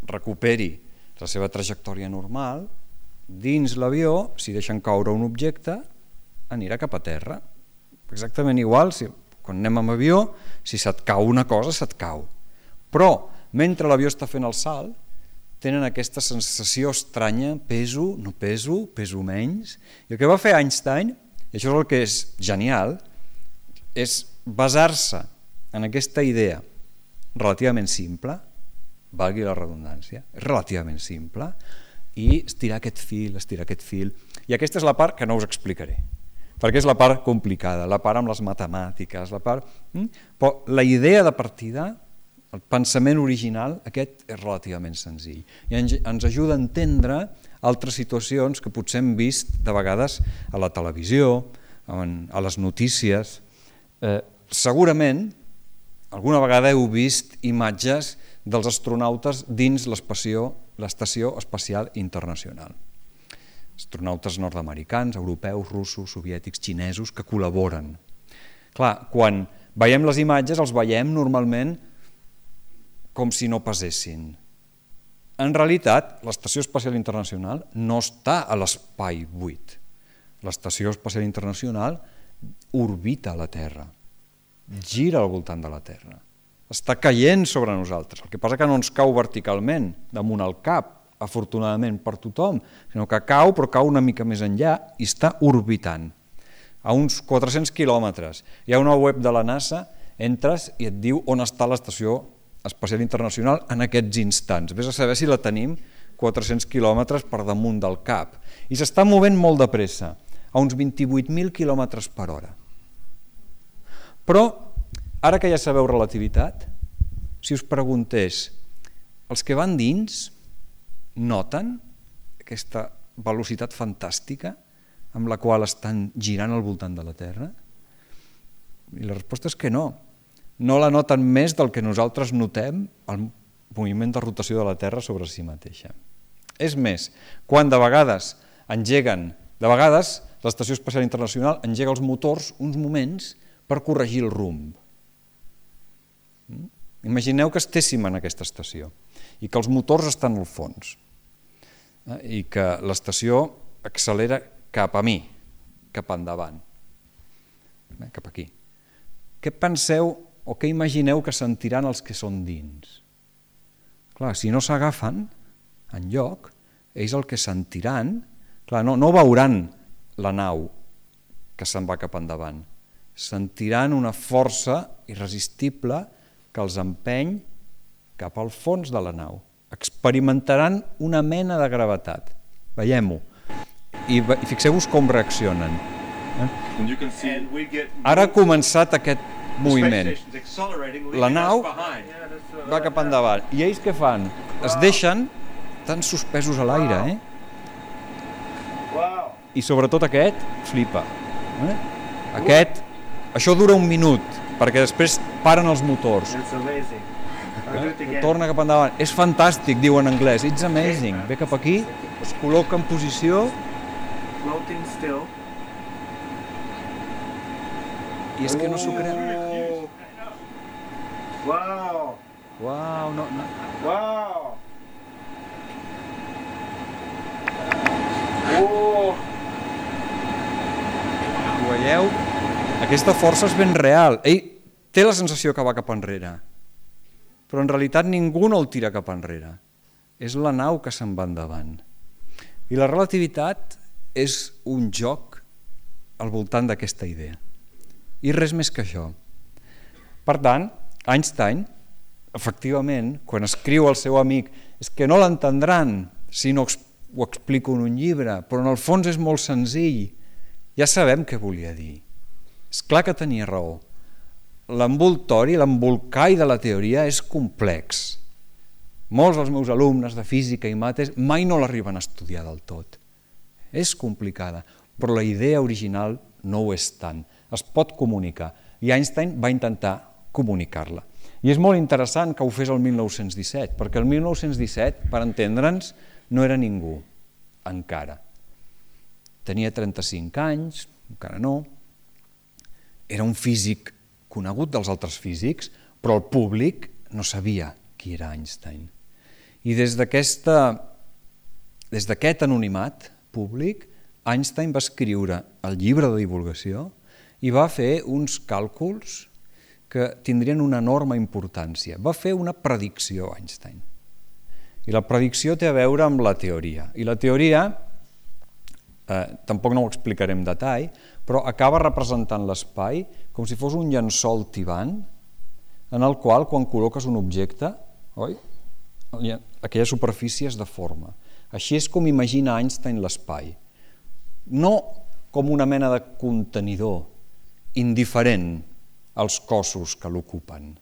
recuperi la seva trajectòria normal, dins l'avió, si deixen caure un objecte, anirà cap a terra. Exactament igual, si, quan anem amb avió, si se't cau una cosa, se't cau. Però, mentre l'avió està fent el salt, tenen aquesta sensació estranya, peso, no peso, peso menys. I el que va fer Einstein, i això és el que és genial, és basar-se en aquesta idea relativament simple, valgui la redundància, és relativament simple, i estirar aquest fil, estirar aquest fil. I aquesta és la part que no us explicaré, perquè és la part complicada, la part amb les matemàtiques, la part... Però la idea de partida, el pensament original, aquest és relativament senzill. I ens ajuda a entendre altres situacions que potser hem vist de vegades a la televisió, a les notícies. Eh, segurament, alguna vegada heu vist imatges dels astronautes dins l'Estació Espacial Internacional. Astronautes nord-americans, europeus, russos, soviètics, xinesos, que col·laboren. Clar, quan veiem les imatges els veiem normalment com si no pesessin. En realitat, l'Estació Espacial Internacional no està a l'espai buit. L'Estació Espacial Internacional orbita la Terra, gira al voltant de la Terra, està caient sobre nosaltres. El que passa que no ens cau verticalment damunt el cap, afortunadament per tothom, sinó que cau, però cau una mica més enllà i està orbitant. A uns quatre-cents quilòmetres. Hi ha una web de la NASA, entres i et diu on està l'Estació Espacial Internacional en aquests instants. Ves a saber si la tenim quatre-cents quilòmetres per damunt del cap. I s'està movent molt de pressa, a uns vint-i-vuit mil quilòmetres per hora. Però, ara que ja sabeu relativitat, si us preguntés, els que van dins noten aquesta velocitat fantàstica amb la qual estan girant al voltant de la Terra? I la resposta és que no. No la noten més del que nosaltres notem el moviment de rotació de la Terra sobre si mateixa. És més, quan de vegades engeguen, de vegades l'Estació Espacial Internacional engega els motors uns moments per corregir el rumb. Imagineu que estéssim en aquesta estació i que els motors estan al fons i que l'estació accelera cap a mi, cap endavant, cap aquí. Què penseu o què imagineu que sentiran els que són dins? Clar, si no s'agafen enlloc, ells el que sentiran, clar, no, no veuran la nau que se'n va cap endavant, sentiran una força irresistible que els empeny cap al fons de la nau. Experimentaran una mena de gravetat. Veiem-ho. I fixeu-vos com reaccionen. Ara ha començat aquest moviment. La nau va cap endavant. I ells què fan? Es deixen tan suspesos a l'aire, eh? I sobretot aquest flipa. Aquest, això dura un minut, perquè després paren els motors. Torna cap endavant. És fantàstic, diu en anglès. It's amazing. Ve cap aquí, es col·loca en posició i és que no s'ho creu. Wow! Uau, no, no. Wow! Oh! Ho veieu? Aquesta força és ben real. Ell té la sensació que va cap enrere, però en realitat ningú no el tira cap enrere. És la nau que se'n va endavant. I la relativitat és un joc al voltant d'aquesta idea. I res més que això. Per tant, Einstein, efectivament, quan escriu al seu amic, és que no l'entendran si no ho explico en un llibre, però en el fons és molt senzill. Ja sabem què volia dir. És clar que tenia raó. L'envoltori, l'embolcall de la teoria és complex. Molts dels meus alumnes de física i mates mai no l'arriben a estudiar del tot. És complicada, però la idea original no ho és tant. Es pot comunicar. I Einstein va intentar comunicar-la. I és molt interessant que ho fes el mil nou-cents disset, perquè el mil nou-cents disset, per entendre'ns, no era ningú, encara. tenia trenta-cinc anys, encara no, era un físic conegut dels altres físics, però el públic no sabia qui era Einstein. I des d'aquesta, des d'aquest anonimat públic, Einstein va escriure el llibre de divulgació i va fer uns càlculs que tindrien una enorme importància. Va fer una predicció, Einstein. I la predicció té a veure amb la teoria. I la teoria, eh, tampoc no ho explicaré en detall, però acaba representant l'espai com si fos un llençol tibant en el qual, quan col·loques un objecte, oi? Aquella superfície es deforma. Així és com imagina Einstein l'espai. No com una mena de contenidor indiferent als cossos que l'ocupen.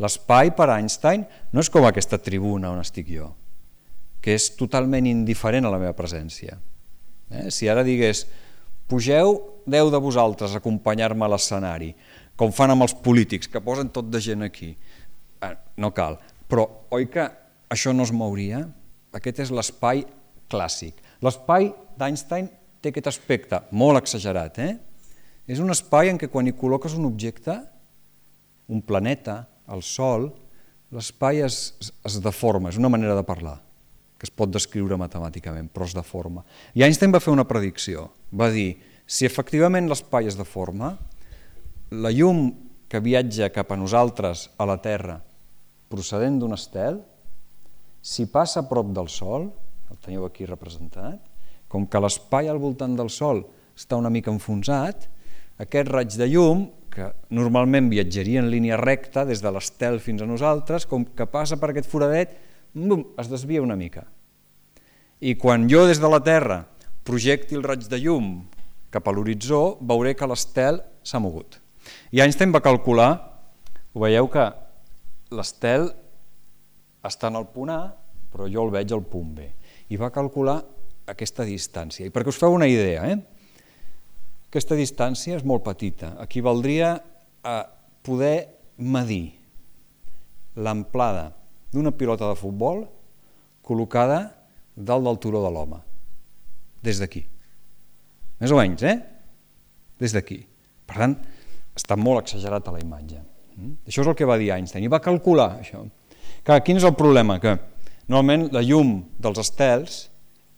L'espai per Einstein no és com aquesta tribuna on estic jo, que és totalment indiferent a la meva presència. Eh? Si ara digués, pugeu deu de vosaltres a acompanyar-me a l'escenari, com fan amb els polítics, que posen tot de gent aquí. Eh, no cal. Però, oi que això no es mouria? Aquest és l'espai clàssic. L'espai d'Einstein té aquest aspecte molt exagerat. Eh? És un espai en què quan hi col·loques un objecte, un planeta, el Sol, l'espai es, es deforma, és una manera de parlar, que es pot descriure matemàticament, però es deforma. I Einstein va fer una predicció, va dir, si efectivament l'espai es deforma, la llum que viatja cap a nosaltres, a la Terra, procedent d'un estel, si passa a prop del Sol, el teniu aquí representat, com que l'espai al voltant del Sol està una mica enfonsat, aquest raig de llum, que normalment viatjaria en línia recta des de l'estel fins a nosaltres, com que passa per aquest foradet, bum, es desvia una mica. I quan jo des de la Terra projecti el raig de llum cap a l'horitzó, veuré que l'estel s'ha mogut. I Einstein va calcular, ho veieu que l'estel està en el punt A, però jo el veig al punt B. I va calcular aquesta distància. I perquè us feu una idea, eh? Aquesta distància és molt petita. Equivaldria a poder medir l'amplada d'una pilota de futbol col·locada dalt del turó de l'home. Des d'aquí. Més o menys, eh? Des d'aquí. Per tant, està molt exagerat a la imatge. Això és el que va dir Einstein. I va calcular això. Clar, quin és el problema? Que normalment la llum dels estels,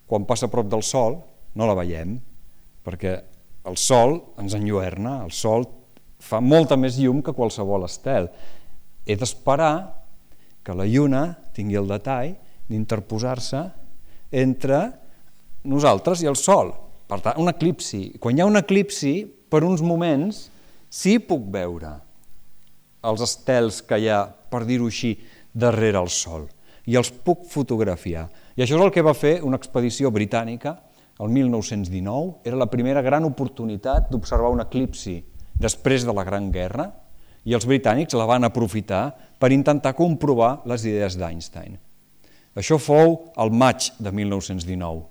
quan passa a prop del Sol, no la veiem, perquè el Sol ens enlluerna, el Sol fa molta més llum que qualsevol estel. He d'esperar que la Lluna tingui el detall d'interposar-se entre nosaltres i el Sol. Per tant, un eclipsi. Quan hi ha un eclipsi, per uns moments, sí puc veure els estels que hi ha, per dir-ho així, darrere el Sol. I els puc fotografiar. I això és el que va fer una expedició britànica el mil nou-cents dinou, era la primera gran oportunitat d'observar un eclipsi després de la Gran Guerra, i els britànics la van aprofitar per intentar comprovar les idees d'Einstein. Això fou el maig de mil nou-cents dinou.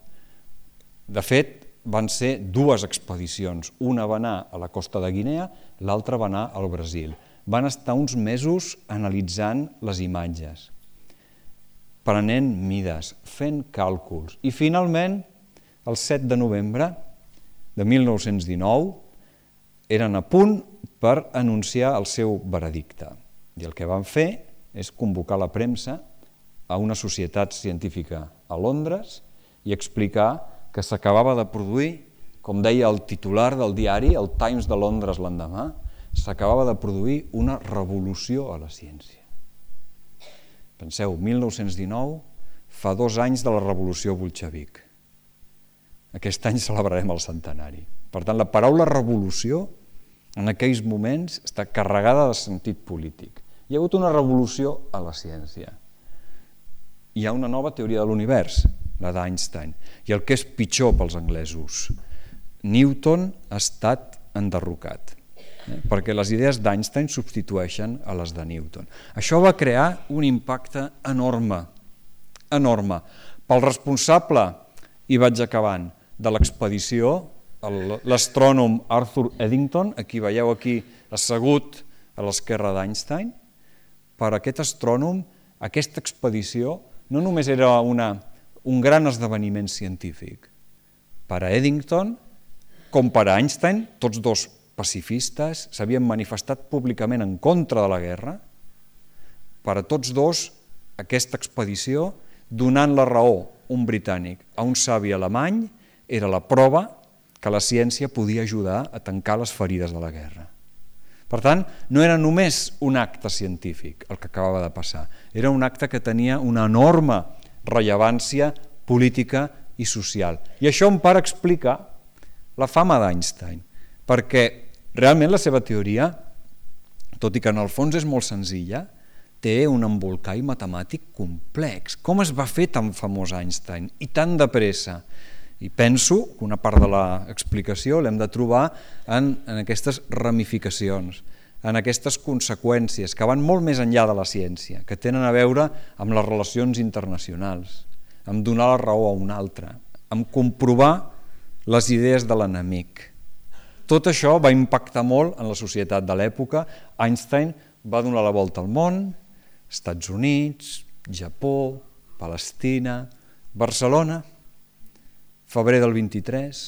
De fet, van ser dues expedicions. Una va anar a la costa de Guinea, l'altra va anar al Brasil. Van estar uns mesos analitzant les imatges, prenent mides, fent càlculs, i finalment, el set de novembre de mil nou-cents dinou, eren a punt per anunciar el seu veredicte. I el que van fer és convocar la premsa a una societat científica a Londres i explicar que s'acabava de produir, com deia el titular del diari, el Times de Londres l'endemà, s'acabava de produir una revolució a la ciència. Penseu, mil nou-cents dinou, fa dos anys de la revolució bolxevic. Aquest any celebrarem el centenari. Per tant, la paraula revolució en aquells moments està carregada de sentit polític. Hi ha hagut una revolució a la ciència. Hi ha una nova teoria de l'univers, la d'Einstein. I el que és pitjor pels anglesos, Newton ha estat enderrocat, eh? perquè les idees d'Einstein substitueixen a les de Newton. Això va crear un impacte enorme, enorme. Pel responsable, i vaig acabant, de l'expedició, l'astrònom Arthur Eddington, a qui veieu aquí assegut a l'esquerra d'Einstein, per aquest astrònom, aquesta expedició no només era una, un gran esdeveniment científic, per a Eddington com per a Einstein, tots dos pacifistes, s'havien manifestat públicament en contra de la guerra. Per a tots dos, aquesta expedició, donant la raó un britànic a un savi alemany, era la prova que la ciència podia ajudar a tancar les ferides de la guerra. Per tant, no era només un acte científic el que acabava de passar, era un acte que tenia una enorme rellevància política i social. I això em para explicar la fama d'Einstein, perquè realment la seva teoria, tot i que en el fons és molt senzilla, té un embolcall matemàtic complex. Com es va fer tan famós Einstein i tan de pressa? I penso que una part de l'explicació l'hem de trobar en, en aquestes ramificacions, en aquestes conseqüències que van molt més enllà de la ciència, que tenen a veure amb les relacions internacionals, amb donar la raó a un altre, amb comprovar les idees de l'enemic. Tot això va impactar molt en la societat de l'època. Einstein va donar la volta al món, Estats Units, Japó, Palestina, Barcelona, febrer del vint-i-tres,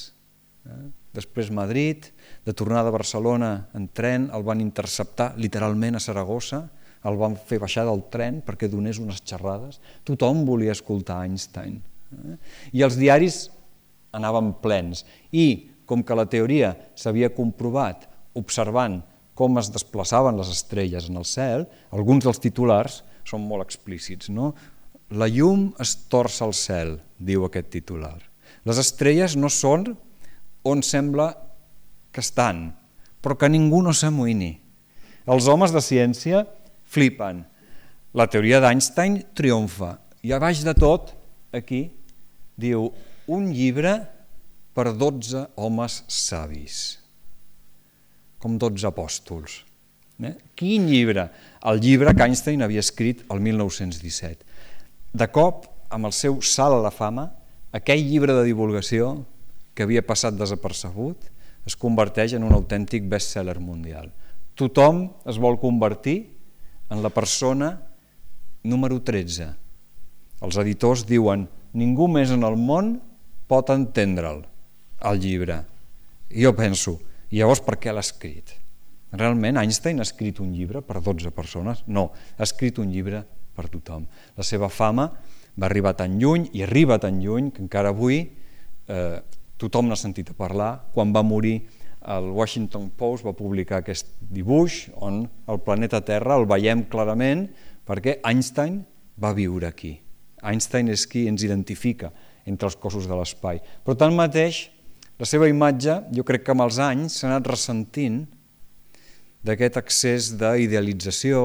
eh? després Madrid, de tornada a Barcelona en tren, el van interceptar literalment a Saragossa, el van fer baixar del tren perquè donés unes xerrades. Tothom volia escoltar Einstein. Eh? I els diaris anaven plens. I com que la teoria s'havia comprovat observant com es desplaçaven les estrelles en el cel, alguns dels titulars són molt explícits, no? La llum es torça al cel, diu aquest titular. Les estrelles no són on sembla que estan, però que ningú no s'amoïni. Els homes de ciència flipen. La teoria d'Einstein triomfa. I a baix de tot, aquí, diu un llibre per dotze homes savis, com dotze apòstols. Eh? Quin llibre? El llibre que Einstein havia escrit el mil nou-cents disset. De cop, amb el seu salt a la fama, aquell llibre de divulgació que havia passat desapercebut es converteix en un autèntic best-seller mundial. Tothom es vol convertir en la persona número tretze. Els editors diuen ningú més en el món pot entendre'l, el llibre. I jo penso, i llavors per què l'ha escrit? Realment Einstein ha escrit un llibre per dotze persones? No, ha escrit un llibre per tothom. La seva fama va arribar tan lluny i arriba tan lluny que encara avui eh, tothom n'ha sentit a parlar. Quan va morir, el Washington Post va publicar aquest dibuix on el planeta Terra el veiem clarament perquè Einstein va viure aquí. Einstein és qui ens identifica entre els cossos de l'espai. Però tanmateix, la seva imatge, jo crec que amb els anys s'ha anat ressentint d'aquest excés d'idealització,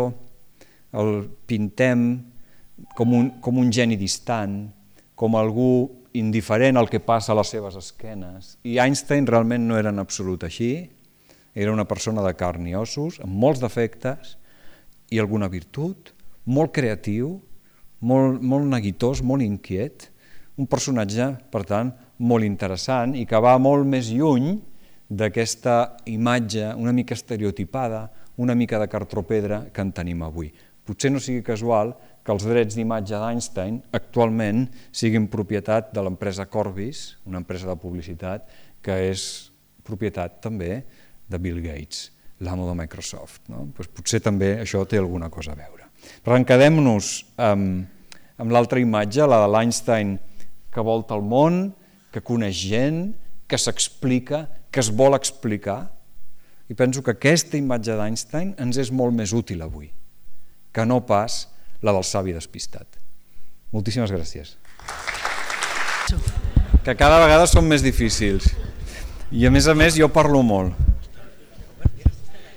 el pintem com un, com un geni distant, com algú indiferent al que passa a les seves esquenes. I Einstein realment no era en absolut així, era una persona de carn i ossos, amb molts defectes i alguna virtut, molt creatiu, molt, molt neguitós, molt inquiet, un personatge, per tant, molt interessant i que va molt més lluny d'aquesta imatge una mica estereotipada, una mica de cartropedra que en tenim avui. Potser no sigui casual que els drets d'imatge d'Einstein actualment siguin propietat de l'empresa Corbis, una empresa de publicitat que és propietat també de Bill Gates, l'amo de Microsoft. No? Pues potser també això té alguna cosa a veure. Però quedem-nos amb, amb l'altra imatge, la de l'Einstein que volta el món, que coneix gent, que s'explica, que es vol explicar. I penso que aquesta imatge d'Einstein ens és molt més útil avui, que no pas la del savi despistat. Moltíssimes gràcies. Que cada vegada són més difícils. I a més a més jo parlo molt.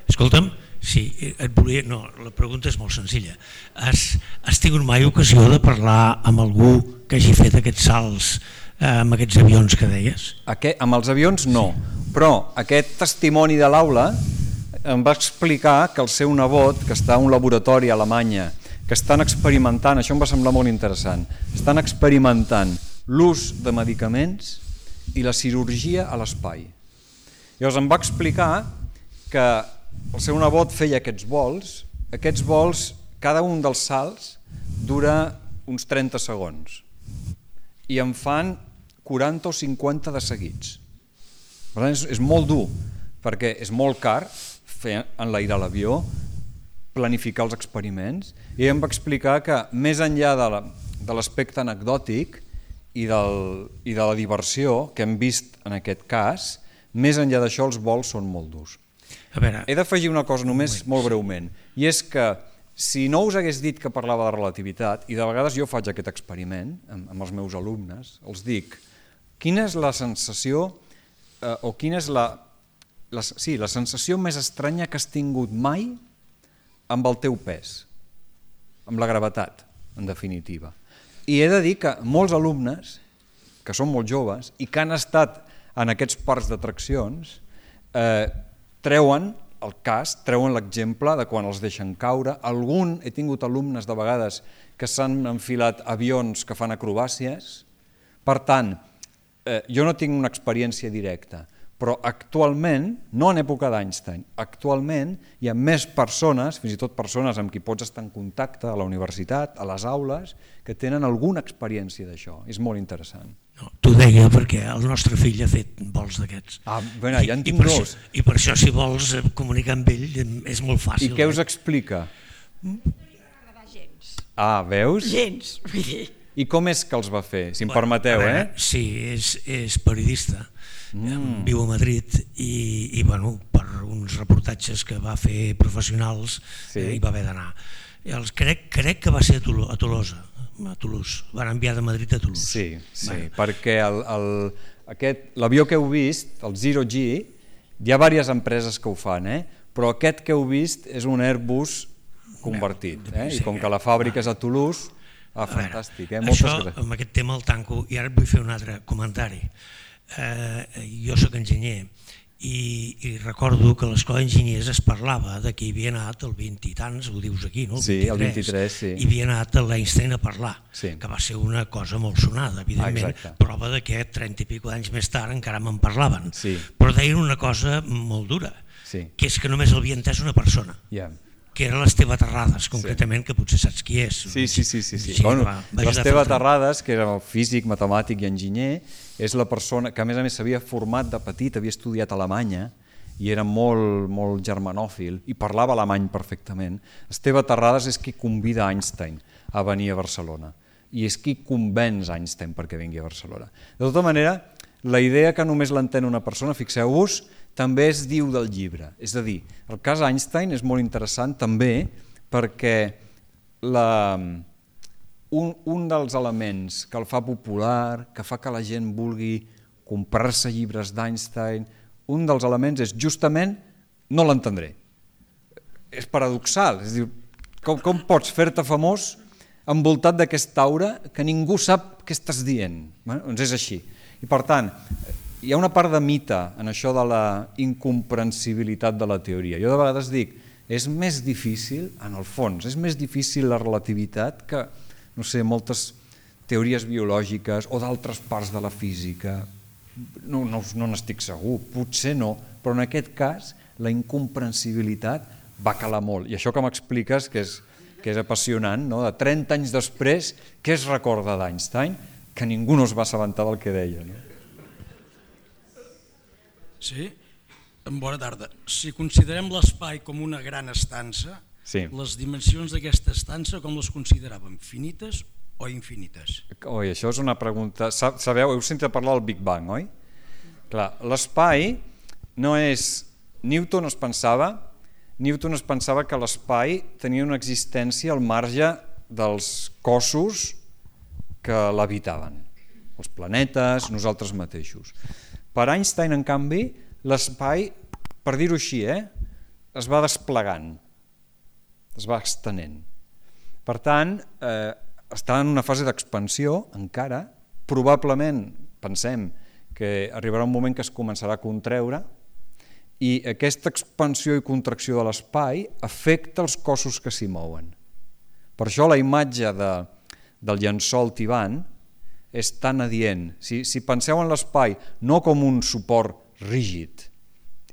Escolta'm, sí, et volia... No, la pregunta és molt senzilla. Has, has tingut mai ocasió de parlar amb algú que hagi fet aquests salts amb aquests avions que deies? Aquest, amb els avions no, però aquest testimoni de l'aula em va explicar que el seu nebot, que està a un laboratori a Alemanya, que estan experimentant, això em va semblar molt interessant, estan experimentant l'ús de medicaments i la cirurgia a l'espai. Llavors em va explicar que el seu nebot feia aquests vols, aquests vols, cada un dels salts dura uns trenta segons i en fan quaranta o cinquanta de seguits. Per tant, és, és molt dur, perquè és molt car fer enlairar l'avió, planificar els experiments, i em va explicar que més enllà de l'aspecte anecdòtic i, del, i de la diversió que hem vist en aquest cas, més enllà d'això els vols són molt durs. A veure, he d'afegir una cosa només molt breument, i és que si no us hagués dit que parlava de relativitat, i de vegades jo faig aquest experiment amb, amb els meus alumnes, els dic, quina és la sensació eh, o quina és la, la, sí, la sensació més estranya que has tingut mai amb el teu pes, amb la gravetat, en definitiva. I he de dir que molts alumnes, que són molt joves i que han estat en aquests parcs d'atraccions, eh, treuen el cas, treuen l'exemple de quan els deixen caure. Algun, he tingut alumnes de vegades que s'han enfilat avions que fan acrobàcies. Per tant, eh, jo no tinc una experiència directa, però actualment, no en època d'Einstein, actualment hi ha més persones, fins i tot persones amb qui pots estar en contacte a la universitat, a les aules, que tenen alguna experiència d'això. És molt interessant. No, t'ho deia perquè el nostre fill ha fet vols d'aquests. Ah, bueno, ja en tinc I, i dos. Això, I per això, si vols comunicar amb ell, és molt fàcil. I què us explica? No m'agrada gens. Ah, veus? Gens, vull dir. I com és que els va fer, si em Bueno, permeteu, veure, eh? Sí, és, és periodista, mm. viu a Madrid i, i bueno, per uns reportatges que va fer professionals sí. eh, hi va haver d'anar. Crec, crec que va ser a, Tolo, a Tolosa, a Toulouse, van enviar de Madrid a Toulouse. Sí, sí, bueno. perquè l'avió que heu vist, el Zero G, hi ha diverses empreses que ho fan, eh? Però aquest que heu vist és un Airbus convertit, eh? I com que la fàbrica és a Toulouse, ah, fantàstic, eh? Moltes Això, gràcies. amb aquest tema el tanco, i ara et vull fer un altre comentari. Eh, jo soc enginyer i, i recordo que a l'escola d'enginyers es parlava de que hi havia anat el vint i tants, ho dius aquí, no? El sí, el vint-i-tres, sí. Hi havia anat l'Einstein a parlar, sí. que va ser una cosa molt sonada, evidentment, ah, prova de que trenta i pico d'anys més tard encara me'n parlaven, sí. però deien una cosa molt dura, sí. que és que només l'havia entès una persona. Ja. Yeah. Que era l'Esteve Terrades, concretament, sí. que potser saps qui és. Sí, sí, sí. sí, sí. sí bueno, L'Esteve Terrades, que era físic, matemàtic i enginyer, és la persona que a més a més s'havia format de petit, havia estudiat a Alemanya i era molt, molt germanòfil i parlava alemany perfectament. Esteve Terrades és qui convida Einstein a venir a Barcelona i és qui convenç Einstein perquè vingui a Barcelona. De tota manera, la idea que només l'entén una persona, fixeu-vos, també es diu del llibre. És a dir, el cas Einstein és molt interessant també perquè la, un, un dels elements que el fa popular, que fa que la gent vulgui comprar-se llibres d'Einstein, un dels elements és justament no l'entendré. És paradoxal, és a dir, com, com pots fer-te famós envoltat d'aquesta aura que ningú sap què estàs dient? Bueno, doncs és així. I per tant, hi ha una part de mite en això de la incomprensibilitat de la teoria. Jo de vegades dic, és més difícil, en el fons, és més difícil la relativitat que, no sé, moltes teories biològiques o d'altres parts de la física. No, no, no n'estic segur, potser no, però en aquest cas la incomprensibilitat va calar molt. I això que m'expliques, que és, que és apassionant, no? De trenta anys després, què es recorda d'Einstein? Que ningú no es va assabentar del que deia, no? Sí, bona tarda. Si considerem l'espai com una gran estança, sí. Les dimensions d'aquesta estança com les consideràvem, finites o infinites? Oi, això és una pregunta... Sabeu, heu sentit parlar del Big Bang, oi? Clar, l'espai no és... Newton es pensava, Newton es pensava que l'espai tenia una existència al marge dels cossos que l'habitaven, els planetes, nosaltres mateixos. Per Einstein, en canvi, l'espai, per dir-ho així, eh, es va desplegant, es va extenent. Per tant, eh, està en una fase d'expansió encara, probablement pensem que arribarà un moment que es començarà a contreure i aquesta expansió i contracció de l'espai afecta els cossos que s'hi mouen. Per això la imatge de, del llençol tibant és tan adient. Si, si penseu en l'espai no com un suport rígid,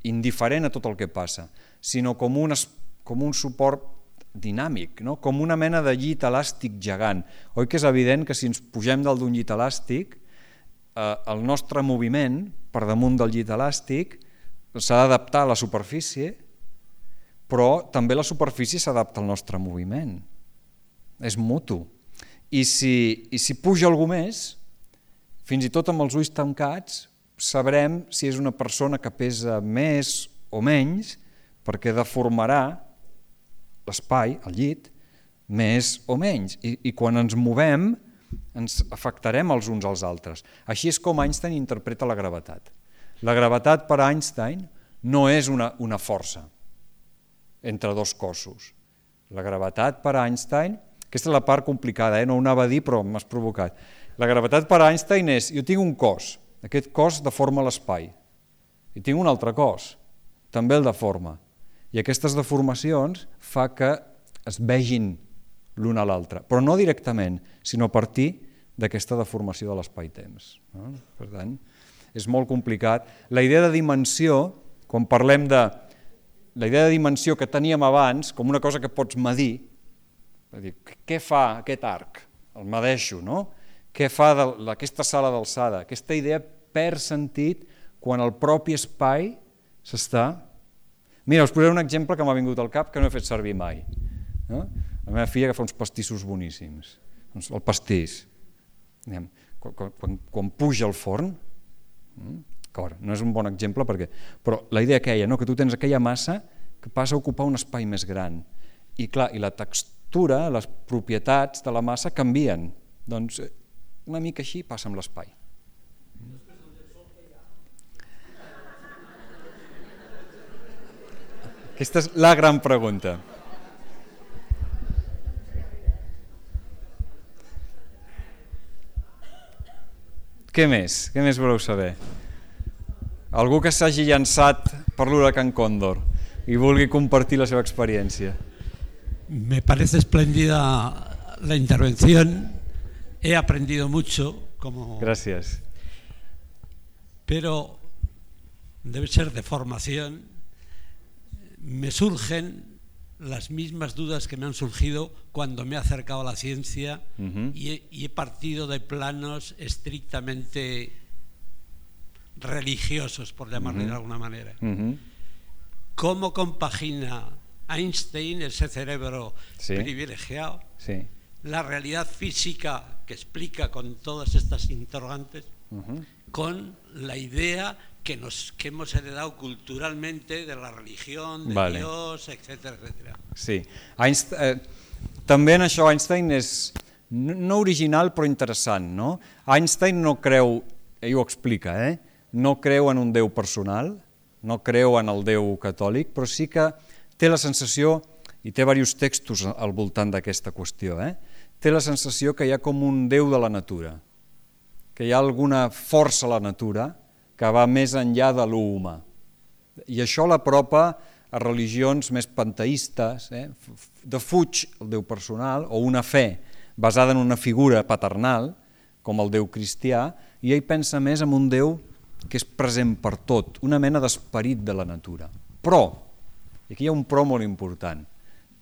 indiferent a tot el que passa, sinó com un, com un suport dinàmic, no? Com una mena de llit elàstic gegant. Oi que és evident que si ens pugem dalt d'un llit elàstic el nostre moviment per damunt del llit elàstic s'ha d'adaptar a la superfície, però també la superfície s'adapta al nostre moviment. És mutu. I si, i si puja algú més, fins i tot amb els ulls tancats, sabrem si és una persona que pesa més o menys, perquè deformarà l'espai, el llit, més o menys. I, i quan ens movem, ens afectarem els uns als altres. Així és com Einstein interpreta la gravetat. La gravetat per a Einstein no és una, una força entre dos cossos. La gravetat per a Einstein, aquesta és la part complicada, eh? No ho anava a dir però m'has provocat. La gravetat per a Einstein és, jo tinc un cos, aquest cos deforma l'espai, i tinc un altre cos, també el deforma. I aquestes deformacions fa que es vegin l'un a l'altre, però no directament, sinó a partir d'aquesta deformació de l'espai-temps. Per tant, és molt complicat. La idea de dimensió, quan parlem de la idea de dimensió que teníem abans, com una cosa que pots medir, què fa aquest arc? El medeixo, no? Què fa aquesta sala d'alçada? Aquesta idea perd sentit quan el propi espai s'està... Mira, us posaré un exemple que m'ha vingut al cap que no he fet servir mai. No? La meva filla que fa uns pastissos boníssims. Doncs el pastís. Quan, quan, quan puja al forn, no és un bon exemple, perquè, però la idea aquella, no? Que tu tens aquella massa que passa a ocupar un espai més gran. I clar, i la textura, les propietats de la massa canvien. Doncs una mica així passa amb l'espai. Aquesta és la gran pregunta. Què més? Què més voleu saber? Algú que s'hagi llançat per l'huracán Cóndor i vulgui compartir la seva experiència. Me parece espléndida la intervención. He aprendido mucho. Como... Gracias. Pero debe ser de formación. Me surgen las mismas dudas que me han surgido cuando me he acercado a la ciencia uh-huh. y, he, y he partido de planos estrictamente religiosos, por llamarlo uh-huh. de alguna manera. Uh-huh. ¿Cómo compagina Einstein, ese cerebro sí. privilegiado, sí. la realidad física que explica con todas estas interrogantes uh-huh. con la idea que, nos, que hemos heredado culturalmente de la religión, de vale. Dios, etcétera, etcétera. Sí, Einstein, eh, també en això Einstein és no original però interessant, no? Einstein no creu, ell ho explica, eh? no creu en un Déu personal, no creu en el Déu catòlic, però sí que té la sensació, i té diversos textos al voltant d'aquesta qüestió, eh? té la sensació que hi ha com un Déu de la natura, que hi ha alguna força a la natura que va més enllà de l'humà. I això l'apropa a religions més panteistes, eh? defuig el Déu personal o una fe basada en una figura paternal, com el Déu cristià, i ell pensa més en un Déu que és present per tot, una mena d'esperit de la natura. Però, i aquí hi ha un però molt important,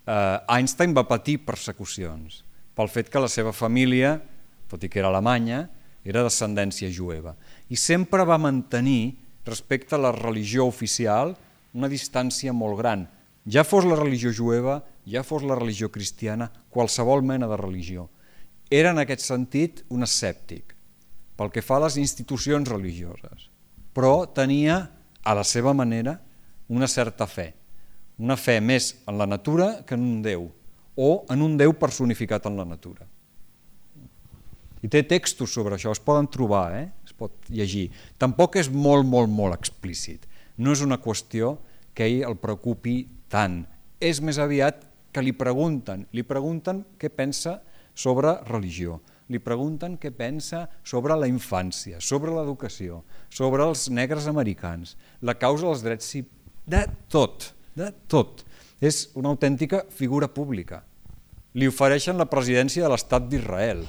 eh, Einstein va patir persecucions pel fet que la seva família, tot i que era alemanya, era d'ascendència jueva, i sempre va mantenir, respecte a la religió oficial, una distància molt gran. Ja fos la religió jueva, ja fos la religió cristiana, qualsevol mena de religió. Era en aquest sentit un escèptic, pel que fa a les institucions religioses, però tenia, a la seva manera, una certa fe, una fe més en la natura que en un Déu, o en un Déu personificat en la natura. I té textos sobre això, es poden trobar, eh? es pot llegir. Tampoc és molt, molt, molt explícit. No és una qüestió que ell el preocupi tant. És més aviat que li pregunten, li pregunten què pensa sobre religió, li pregunten què pensa sobre la infància, sobre l'educació, sobre els negres americans, la causa dels drets civils, de tot, de tot. És una autèntica figura pública. Li ofereixen la presidència de l'Estat d'Israel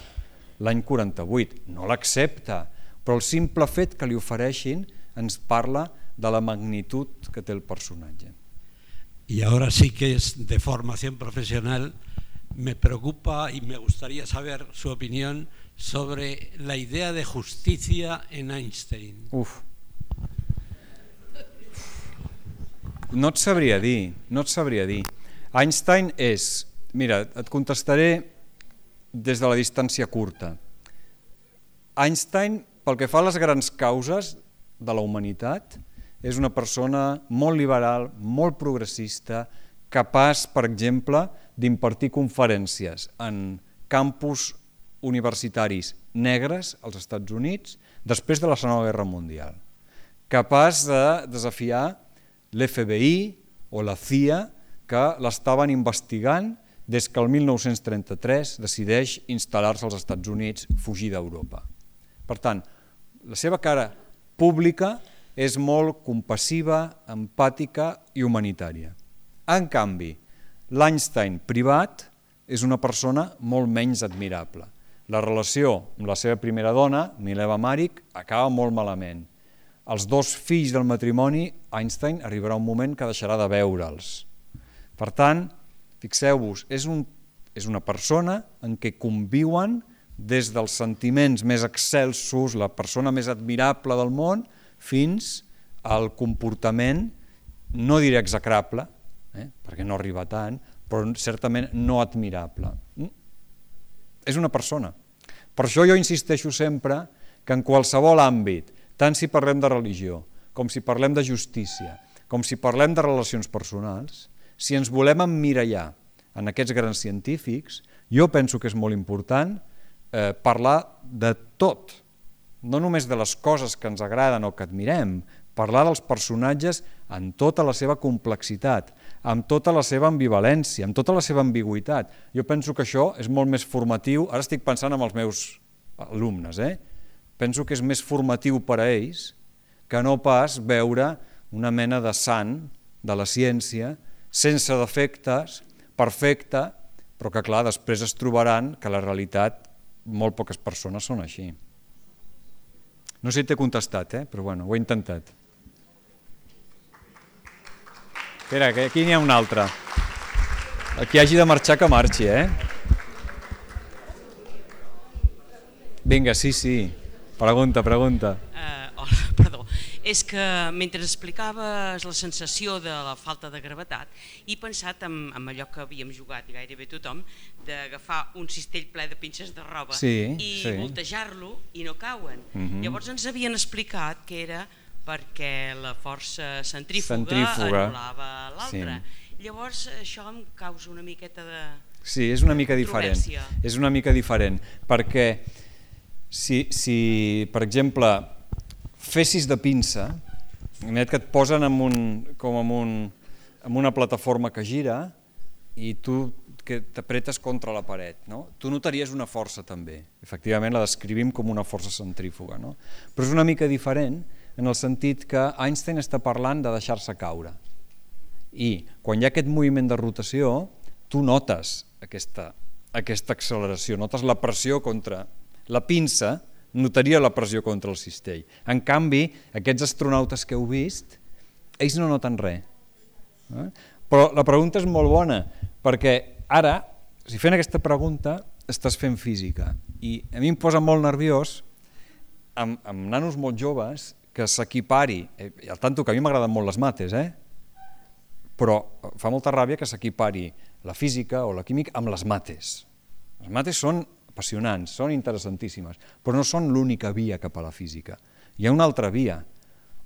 l'any quaranta-vuit, no l'accepta, però el simple fet que li ofereixin ens parla de la magnitud que té el personatge. Y ahora sí que es de formación profesional, me preocupa y me gustaría saber su opinión sobre la idea de justicia en Einstein. Uf. No et sabria dir, no et sabria dir. Einstein és, mira, et contestaré des de la distància curta. Einstein, pel que fa a les grans causes de la humanitat, és una persona molt liberal, molt progressista, capaç, per exemple, d'impartir conferències en campus universitaris negres als Estats Units després de la Segona Guerra Mundial. Capaç de desafiar l'F B I o la C I A, que l'estaven investigant des que el mil nou-cents trenta-tres decideix instal·lar-se als Estats Units, fugir d'Europa. Per tant, la seva cara pública és molt compassiva, empàtica i humanitària. En canvi, l'Einstein privat és una persona molt menys admirable. La relació amb la seva primera dona, Mileva Maric, acaba molt malament. Els dos fills del matrimoni, Einstein arribarà un moment que deixarà de veure'ls. Per tant, fixeu-vos, és, un, és una persona en què conviuen des dels sentiments més excelsos, la persona més admirable del món, fins al comportament, no diré execrable, eh, perquè no arriba tant, però certament no admirable. És una persona. Per això jo insisteixo sempre que en qualsevol àmbit, tant si parlem de religió, com si parlem de justícia, com si parlem de relacions personals, si ens volem emmirallar en aquests grans científics, jo penso que és molt important eh, parlar de tot, no només de les coses que ens agraden o que admirem, parlar dels personatges en tota la seva complexitat, amb tota la seva ambivalència, amb tota la seva ambigüitat. Jo penso que això és molt més formatiu, ara estic pensant en els meus alumnes, eh? Penso que és més formatiu per a ells que no pas veure una mena de sant de la ciència, sense defectes, perfecte, però que clar, després es trobaran que la realitat molt poques persones són així. No sé si t'he contestat, eh? Però bueno, ho he intentat. Espera, que aquí n'hi ha un altre. El que hagi de marxar, que marxi, eh? Vinga, sí, sí. Pregunta, pregunta. Uh, hola, perdó. És que mentre explicaves la sensació de la falta de gravetat, he pensat en, en allò que havíem jugat i gairebé tothom, d'agafar un cistell ple de pinces de roba sí, i sí. voltejar-lo i no cauen. Uh-huh. Llavors ens havien explicat que era perquè la força centrífuga, centrífuga. anul·lava l'altra. Sí. Llavors això em causa una miqueta de Sí, és una mica diferent. És una mica diferent, perquè si, si per exemple, fessis de pinça, que et posen en un, com en, un, en una plataforma que gira i tu que t'apretes contra la paret, no? Tu notaries una força també. Efectivament la descrivim com una força centrífuga, no? Però és una mica diferent en el sentit que Einstein està parlant de deixar-se caure. I quan hi ha aquest moviment de rotació, tu notes aquesta, aquesta acceleració, notes la pressió contra la pinça, notaria la pressió contra el cistell. En canvi, aquests astronautes que heu vist, ells no noten res. Però la pregunta és molt bona, perquè ara, si fent aquesta pregunta, estàs fent física. I a mi em posa molt nerviós, amb, amb nanos molt joves, que s'equipari, i al tanto que a mi m'agraden molt les mates, eh? Però fa molta ràbia que s'equipari la física o la química amb les mates. Les mates són apassionants, són interessantíssimes, però no són l'única via cap a la física. Hi ha una altra via,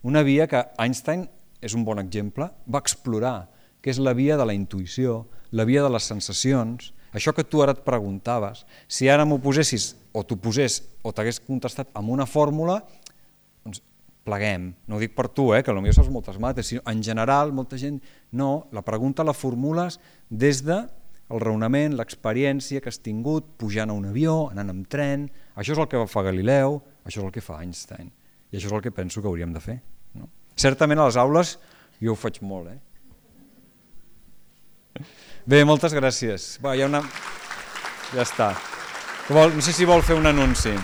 una via que Einstein, és un bon exemple, va explorar, que és la via de la intuïció, la via de les sensacions, això que tu ara et preguntaves, si ara m'ho posessis, o t'ho posés, o t'hagués contestat amb una fórmula, doncs pleguem. No ho dic per tu, eh, que potser saps moltes mates, sinó en general, molta gent, no, la pregunta la formules des de el raonament, l'experiència que has tingut pujant a un avió, anant amb tren. Això és el que va fer Galileu, això és el que fa Einstein, i això és el que penso que hauríem de fer. No? Certament a les aules jo ho faig molt. Eh? Bé, moltes gràcies. Va, hi ha una... Ja està. No sé si vol fer un anunci.